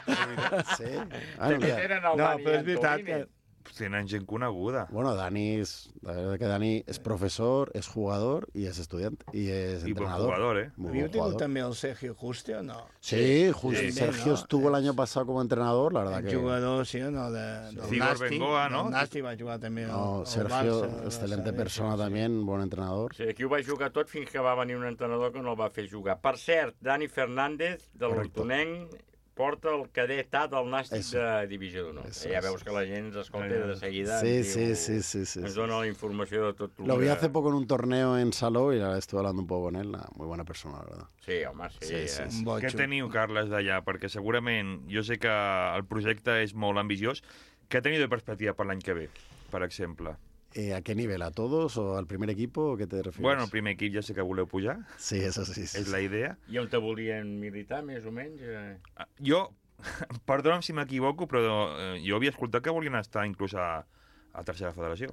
Sí. També tenen el Dani però és veritat Antonini. que... Tenen gent coneguda. Bueno, la verdad que Dani es profesor, es jugador y es estudiante y es entrenador. Jugador, ¿eh? Muy ¿Havíeu buen tingut jugador. també el Sergio Juste o no? Sí, Sí, Sergio ¿no? estuvo el año pasado como entrenador, la verdad El que... jugador, sí o no, del Cigor Nasti. Bengoa, ¿no? El Nasti va jugar també No, al Sergio, Barça, excelente Barça, persona sí. también, buen entrenador. Sí, aquí ho va jugar tot fins que va venir un entrenador que no el va fer jugar. Per cert, Dani Fernández, del Hortonenc, porta el cadet A del Nàstic de Divisió d'Honor. Ja veus que la gent ens escolta de seguida. Sí. Ens dona la informació de tot. Lo vi hace poco en un torneo en Salou y la verdad estuve hablando un poco con él. Muy buena persona, la verdad. Sí, home, sí. Què teniu, Carles, d'allà? Perquè segurament, jo sé que el projecte és molt ambiciós. Què teniu de perspectiva per l'any que ve, per exemple? ¿A qué nivel? ¿A todos o al primer equipo? ¿O qué te refieres? Bueno, el primer equip ja sé que voleu pujar. Sí, eso sí. És la idea. I on te volien militar, més o menys? Jo, perdona'm si m'equivoco, però jo havia escoltat que volien estar inclús a tercera federació.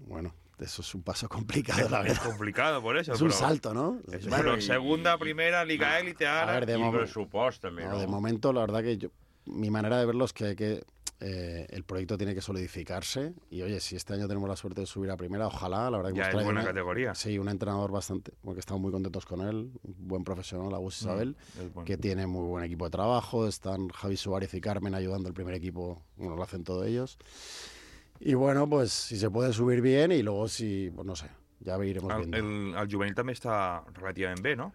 Bueno, eso es un paso complicado, la verdad. Es complicado, por eso. Es un salto, ¿no? Bueno, segunda, primera, Liga Élite, ahora... A ver, I pressupost, també, no? De momento, la verdad que mi manera de verlo es que el proyecto tiene que solidificarse y, oye, si este año tenemos la suerte de subir a primera, ojalá, la verdad que ya es buena categoría. Sí, un entrenador bastante, porque estamos muy contentos con él, un buen profesional, Agus Isabel, que tiene muy buen equipo de trabajo, están Javi Suárez y Carmen ayudando al primer equipo, bueno, lo hacen todos ellos. Y bueno, pues si se puede subir bien y luego si, pues no sé, ya iremos viendo. El juvenil també està relativament bé, no?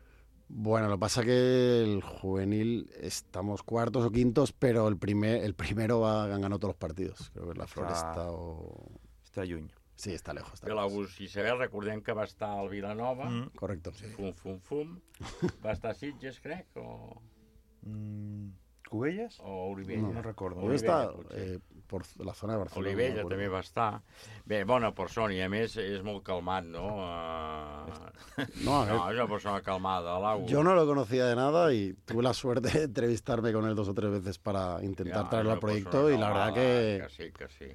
Bueno, lo que pasa que el juvenil estamos cuartos o quintos, pero el primero ganó todos los partidos. Creo que la Floresta o... Està lluny. Sí, està lejos. Que l'August Isabel, recordem que va estar al Vilanova. Correcto. Sí. Fum. Va estar a Sitges, crec, o... Cubelles? O Olivella. No recordo. Olivella està por la zona de Barcelona. Olivella també va estar. Bé, bona persona, i a més és molt calmat, no? No, és una persona calmada, l'August. Yo no lo conocía de nada y tuve la suerte de entrevistarme con él 2 o 3 veces para intentar traerlo al proyecto y la verdad que sí.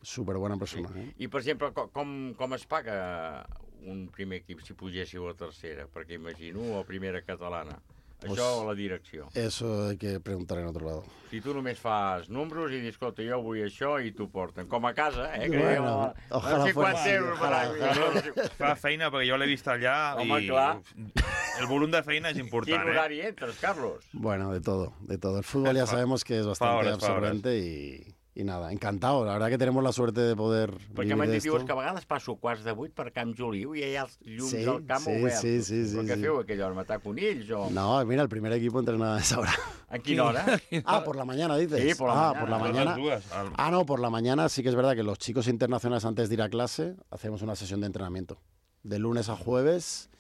Súper buena persona. I, per exemple, com es paga un primer equip si pugéssiu a tercera? Perquè imagino a primera catalana. Això Pues, o la direcció? Eso hay que preguntar en otro lado. Si tu només fas números i dius, escolta, jo vull això i t'ho porten. Com a casa, que Bueno, ojalá 50 fuera así, euros per any. Fa feina, perquè jo l'he vist allà. Home, i clar. El volum de feina és important. Quin horari entres, Carlos? Bueno, de todo. El fútbol ya sabemos que es bastante absorbente y nada, encantado. La verdad que tenemos la suerte de poder Perquè m'han dit, dius que a vegades passo quarts de 8 per Camp Juliu i hi ha els llums del camp oberts. Sí. Però què feu aquella hora, matar conills o...? No, mira, el primer equipo entrena a esa hora. ¿A qué hora? Por la mañana, dices. Sí, por la mañana. Por la mañana. No, por la mañana sí que es verdad que los chicos internacionales antes de ir a clase hacemos una sesión de entrenamiento. De lunes a jueves.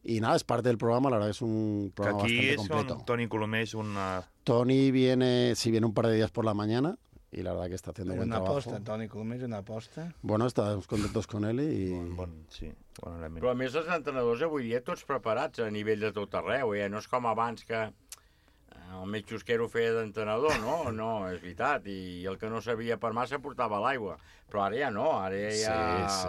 Y nada, es parte del programa, la verdad que es un programa bastante completo. Aquí Toni Colomer és una... Toni viene un par de días por la mañana y la verdad que está haciendo buen trabajo. Una aposta, Toni Colomer és una aposta. Bueno, estamos contentos con él i... Sí, bon element. Però a més els entrenadors avui dia tots preparats a nivell de tot arreu, no és com abans que el més xusquero feia d'entrenador, no? No, és veritat, i el que no sabia per massa portava l'aigua, però ara ja no, ara ja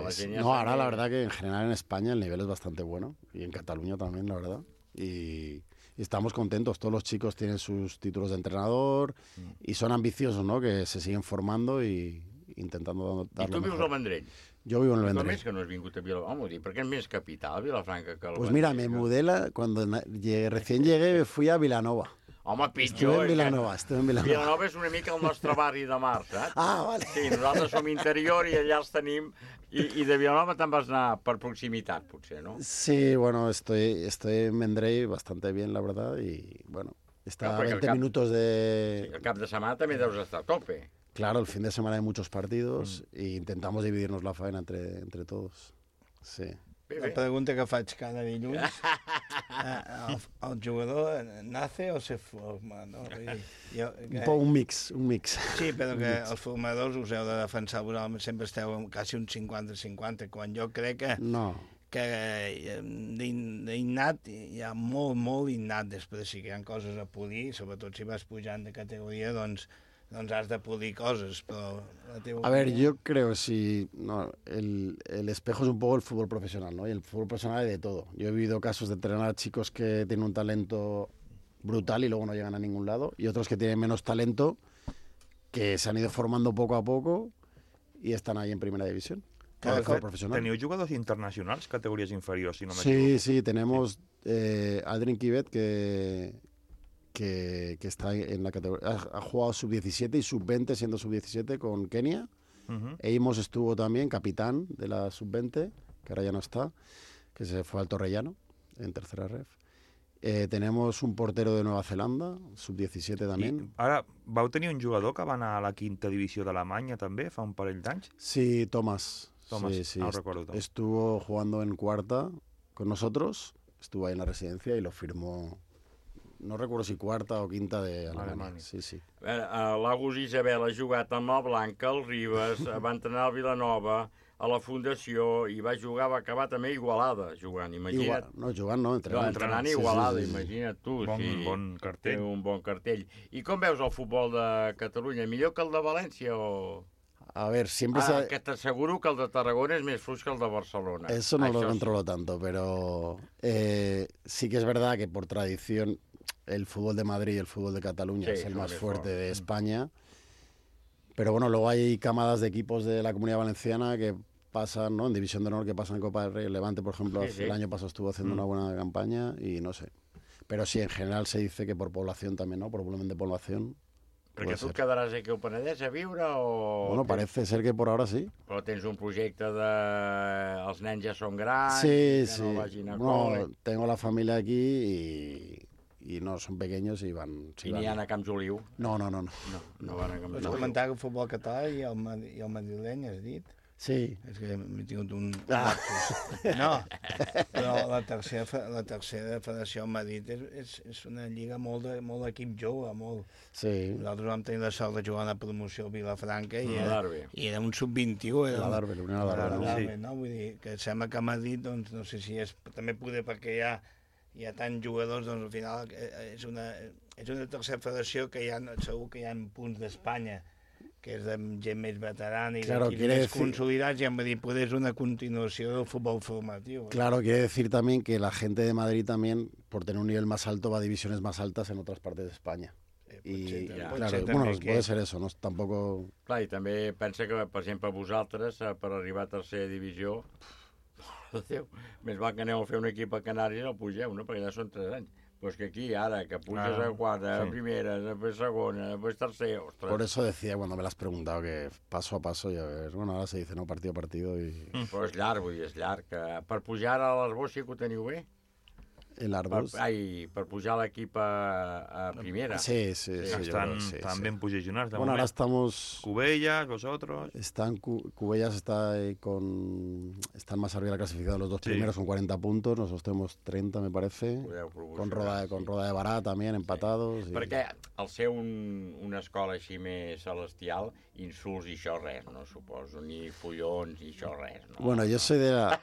la gent ja... No, ahora la verdad que en general en España el nivel es bastante bueno, y en Cataluña también, la verdad, y estamos contentos, todos los chicos tienen sus títulos de entrenador y son ambiciosos, ¿no? Que se siguen formando y intentando dar lo mejor. I tu vius al Vendrell? Yo vivo en el Vendrell. Com és que no has vingut a Vilafranca? Perquè és més capital, Vilafranca, que el Pues mira, me mudé, cuando recién llegué fui a Vilanova. Home, pitjor. Estuve en Vilanova. Vilanova és una mica el nostre barri de mar, saps? Vale. Sí, nosaltres som interior i allà els tenim. I de Vilanova te'n vas anar per proximitat, potser, no? Sí, bueno, estoy en Vendrell bastante bien, la verdad, y bueno, está a 20 minutos de... Sí, el cap de setmana també deus estar a tope. Claro, el fin de semana hay muchos partidos e intentamos dividirnos la faena entre todos. Sí. La pregunta que faig cada dilluns, el jugador nace o se forma? No? Un mix. Sí, però que els formadors us heu de defensar, vosaltres sempre esteu quasi un 50-50, quan jo crec que... No. Que d'innat hi ha molt innat, després sí que hi ha coses a polir, sobretot si vas pujant de categoria, doncs has de polir coses, pero... A ver, yo creo el espejo es un poco el fútbol profesional, ¿no? Y el fútbol profesional hay de todo. Yo he vivido casos de entrenar a chicos que tienen un talento brutal y luego no llegan a ningún lado, y otros que tienen menos talento, que se han ido formando poco a poco y están ahí en primera división. ¿Teniu jugadors internacionals, categories inferiors, si no me equivoco? Sí, tenemos Aldrin Kivet, que está en la categoría, ha jugado sub-17 y sub-20 siendo sub-17 con Kenia. Eimos estuvo también capitán de la sub-20, que ahora ya no está, que se fue al Torrellano en tercera ref. Tenemos un portero de Nueva Zelanda, sub-17 también. Ara, vau tenir un jugador que va anar a la quinta divisió d'Alemanya també, fa un parell d'anys? Sí, Tomás. Sí, no recuerdo. Estuvo jugando en cuarta con nosotros, estuvo ahí en la residencia y lo firmó, no recuerdo si cuarta o quinta de Alemanya. Sí. L'Agus Isabel ha jugat amb el Blanca, el Ribes, va entrenar al Vilanova, a la Fundació, i va acabar també a Igualada, jugant, imagina't. Entrenant a Igualada, imagina't tu. Bon cartell. Té un bon cartell. I com veus el futbol de Catalunya? Millor que el de València o...? A ver, siempre que t'asseguro que el de Tarragona és més fluix que el de Barcelona. Eso no lo controlo tanto, pero sí que es verdad que por tradición el fútbol de Madrid y el fútbol de Cataluña es el más fuerte de España. Pero bueno, luego hay camadas de equipos de la Comunidad Valenciana que pasan, ¿no? En División de Honor, que pasan en Copa del Rey. El Levante, por ejemplo, el año pasado estuvo haciendo una buena campaña y no sé. Pero sí, en general se dice que por población también, ¿no? Por volumen de población. Perquè tu et quedaràs aquí al Penedès a viure o... Bueno, parece ser que por ahora sí. Però tens un projecte de... Els nens ja són grans... Sí. No vagin a cole. Tengo la familia aquí y no, son pequeños y van... I n'hi ha a Camps Oliu? No. No van a Camps Oliu. Pots comentar que el futbol català i el madrileny, has dit? Sí. És que m'he tingut un... No, però la tercera federació a Madrid és una lliga molt d'equip jove, molt. Sí. Nosaltres vam tenir la sort de jugar a la promoció a Vilafranca i era un sub-21. L'Adarve, no? Vull dir, que sembla que a Madrid, doncs, no sé si és... També poder perquè hi ha tants jugadors, doncs al final és una tercera federació que segur que hi ha punts d'Espanya, que és de gent més veterana i d'equips més consolidats, i em va dir, pues és una continuació del futbol formatiu. Claro, quiere decir también que la gente de Madrid también, por tener un nivel más alto, va a divisiones más altas en otras partes de España. Puede ser eso, no? Tampoco... Clar, i també pensa que, per exemple, vosaltres, per arribar a tercera divisió, Déu, més val que aneu a fer un equip a Canàries i el pugeu, no? Perquè ja són 3 anys. Pues que aquí, ahora, que puges a cuarta, a primera, después segona, después tercera, ostras. Por eso decía cuando me lo has preguntado que paso a paso, ya ves, bueno, ahora se dice, no, partido a partido y... Però és llarg, vull dir, és llarg. Per pujar a l'Arbós sí que ho teniu bé? l'Arbós. Per pujar l'equip a primera. Sí. Están bien posicionados. Bueno, ahora estamos... Cubellas, vosotros. Cubellas está están más arriba de la clasificación, los dos primeros con 40 puntos, nosotros tenemos 30, me parece. Con Roda de Barà también, empatados. Sí. Perquè al ser una escola així més celestial, insults i això res, no suposo, ni follons ni això res. No? Bueno, yo soy de la...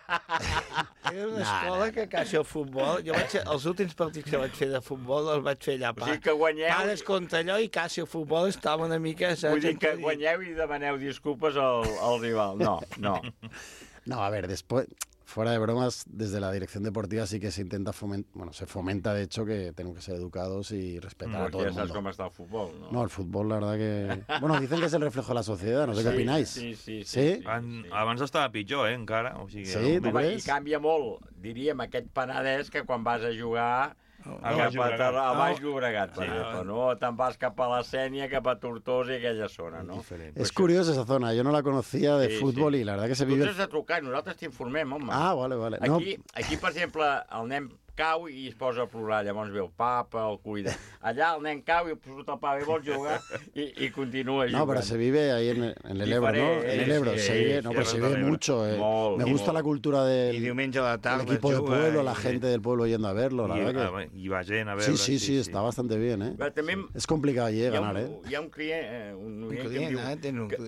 Era una escola que quasi el futbol... Jo vaig, els últims partits que vaig fer de futbol els vaig fer allà. O sigui que guanyeu... Pares contra allò i quasi el futbol estava una mica... Vull dir que guanyeu i demaneu disculpes al rival. No. No, a ver, después... Fuera de bromas, desde la dirección deportiva sí que se intenta se fomenta de hecho que tenemos que ser educados y respetar a todo el mundo. Ya sabes cómo está el fútbol, ¿no? No, el fútbol, la verdad que... Bueno, dicen que es el reflejo de la sociedad, no sé què opináis. Sí. Abans estava pitjor, encara. O sigui, sí, tu creus? I canvia molt, diríem, aquest Penedès que quan vas a jugar... a Baix Llobregat, per exemple, no? Te'n vas cap a la Sénia, cap a Tortosa i aquella zona, no? Es curiosa esa zona, yo no la conocía de fútbol y la verdad que se vive... Tu has de trucar, nosaltres t'informem, home. Ah, vale. Aquí, per exemple, el nen cau i es posa a plorar, llavors ve el papa, el cuida. allà el nen cau i surt el pavo i vol jugar i continua jugant. No, pero se vive ahí en el Ebro, ¿no? En el Ebro, se vive, no, pero se vive mucho. Me gusta la cultura del equipo de pueblo, la gente del pueblo yendo a verlo, la verdad que... I va gent a veure. Sí, está bastante bien, ¿eh? Es complicado allí ganar, ¿eh? Hi ha un client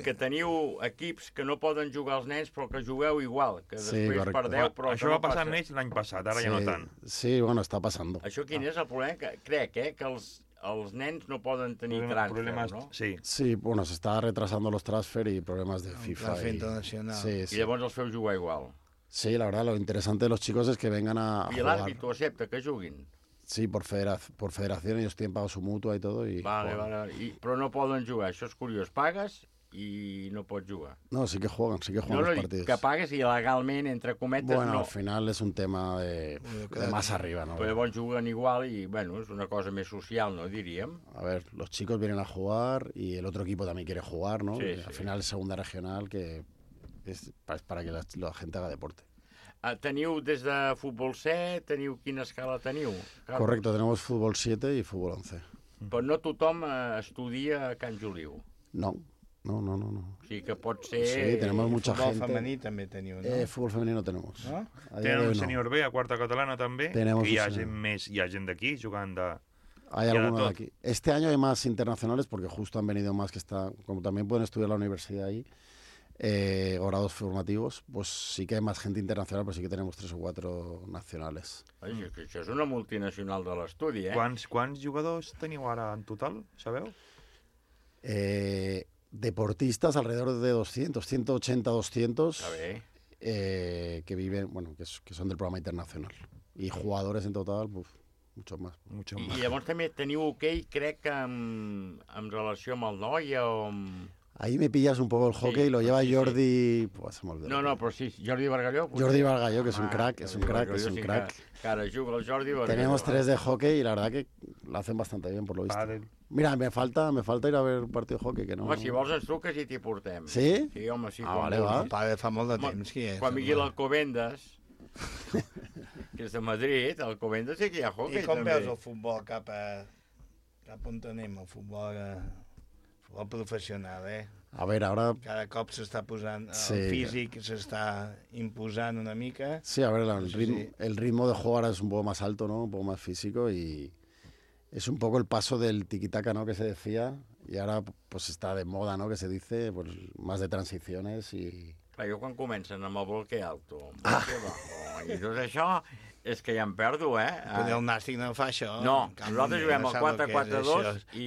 que teniu equips que no poden jugar els nens però que jugueu igual, que després perdeu, però això va passar amb ells l'any passat, ara ja no tant. Sí, bueno, está pasando. Això quin és el problema? Crec que els nens no poden tenir transfer, ¿no? Sí, bueno, se está retrasando los transfer y problemas de FIFA. Transfer internacional. I llavors els feu jugar igual. Sí, la verdad, lo interesante de los chicos es que vengan a jugar. I l'àrbitro acepta que juguin? Sí, por federación, ellos tienen pago su mutua y todo. Vale. Però no poden jugar, això és curiós. Pagues i no pots jugar. No, sí que juegan los partidos. Que pagues i legalment, entre cometes, bueno, no. Al final es un tema de más arriba, ¿no? Però llavors juguen igual i, bueno, és una cosa més social, ¿no? Diríem. A ver, los chicos vienen a jugar y el otro equipo también quiere jugar, ¿no? Sí. Al final es segunda regional, que es para que la gente haga deporte. Teniu des de futbol 7, quina escala teniu? Correcto, tenemos fútbol 7 y fútbol 11. Però no tothom estudia a Can Juliu. No. O sigui que pot ser... Sí, tenemos mucha gente. Fútbol femení també teniu, ¿no? Fútbol femenino tenemos. ¿No? Tenen un sènior B a quarta catalana també, tenemos que hi ha gent d'aquí jugant de... Hay algunos de aquí. Este año hay más internacionales porque justo han venido más que están, como también pueden estudiar la universidad ahí, grados formativos, pues sí que hay más gente internacional, pero sí que tenemos 3 o 4 nacionales. Això és una multinacional de l'estudi, eh? Quants jugadors teniu ara en total, sabeu? Deportistas alrededor de 200, 180, 200 que viven, bueno, que son del programa internacional. Y jugadores en total, muchos más. I llavors també teniu hoquei, crec que en relació amb el Noia o amb... Ahí me pillas un poco el hockey, lo lleva Jordi... Pues se me olvidó. No, pero sí, Jordi Bargalló. Jordi Bargalló, que es un crack, es un crack. Cara, juga el Jordi Bargalló. Tenemos 3 de hockey y la verdad que lo hacen bastante bien, por lo visto. Mira, me falta ir a ver un partido de hockey, que no... Home, si vols ens truques i t'hi portem. Sí? Sí, home, sí. Vale, va. El pare fa molt de temps, qui és? Quan vingui l'Alcobendas, que és de Madrid, a l'Alcobendas sí que hi ha hockey, també. I com veus el futbol cap on anem, el futbol professional, A ver, ahora... Cada cop s'està posant... El físic s'està imposant una mica. Sí, a ver, el ritmo de jugar es un poco más alto, ¿no? Un poco más físico y es un poco el paso del tiquitaca, ¿no? Que se decía y ahora pues está de moda, ¿no? Que se dice, pues más de transiciones y... Clar, jo quan comencen amb el bloque alto, bloque bajo, i tot això... És que ja em perdo, eh? Però el Nàstic no fa això. No, nosaltres juguem al 4-4-2 i...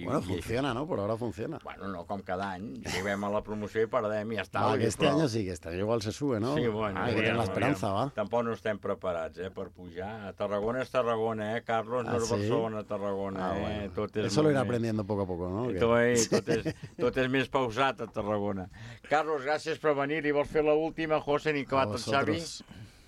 Bueno, funciona, ¿no? Por ahora funciona. Bueno, no com cada any. Juguem a la promoció i perdem i ja està. Que este año sí, que este año igual se sube, ¿no? Sí, bueno. Hay que tener la esperanza, va. Tampoc no estem preparats, per pujar. A Tarragona és Tarragona, Carlos? No és Barcelona, Tarragona, bueno. Tot és eso lo iré aprendiendo poco a poco, ¿no? Tot és més pausat a Tarragona. Carlos, gràcies per venir. I vols fer l'última, José, ni acabat el Xavi?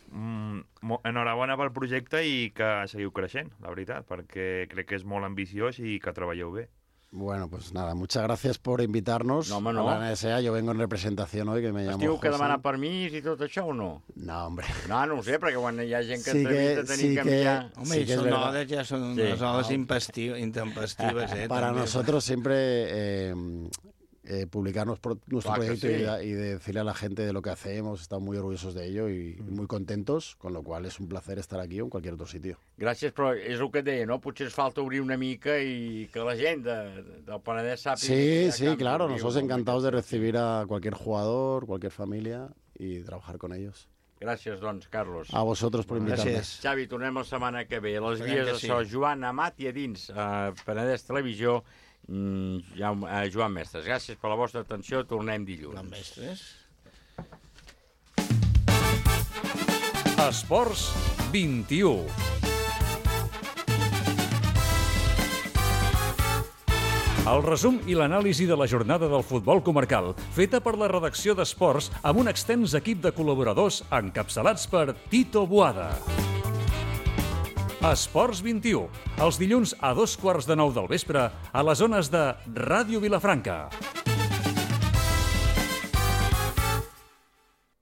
Enhorabona pel projecte i que seguiu creixent, la veritat, perquè crec que és molt ambiciós i que treballeu bé. Bueno, pues nada, muchas gracias por invitarnos a la NSA. Yo vengo en representación hoy, que me llamo José. Estiu que demana permís i tot això o no? No, hombre. No ho sé, perquè quan hi ha gent que entrevista tenim que enviar... Home, i són hores, ja són unes hores intempestives, Para nosotros siempre... publicar nuestro proyecto y decirle a la gente de lo que hacemos, estamos muy orgullosos de ello y muy contentos, con lo cual es un placer estar aquí o en cualquier otro sitio. Gràcies, però és el que et deia, no? Potser ens falta obrir una mica i que la gent del Penedès sàpiga... Sí, claro, nosotros encantados de recibir a cualquier jugador, cualquier familia y trabajar con ellos. Gràcies, doncs, Carlos. A vosotros por invitarme. Xavi, tornem la setmana que ve. Les vies de so, Joan Amat i a dins, Penedès Televisió, Joan Mestres. Gràcies per la vostra atenció. Tornem dilluns. Joan Mestres. Esports 21. El resum i l'anàlisi de la jornada del futbol comarcal, feta per la redacció d'Esports amb un extens equip de col·laboradors encapçalats per Tito Boada. Esports 21, els dilluns a 2:15 del vespre a les zones de Ràdio Vilafranca.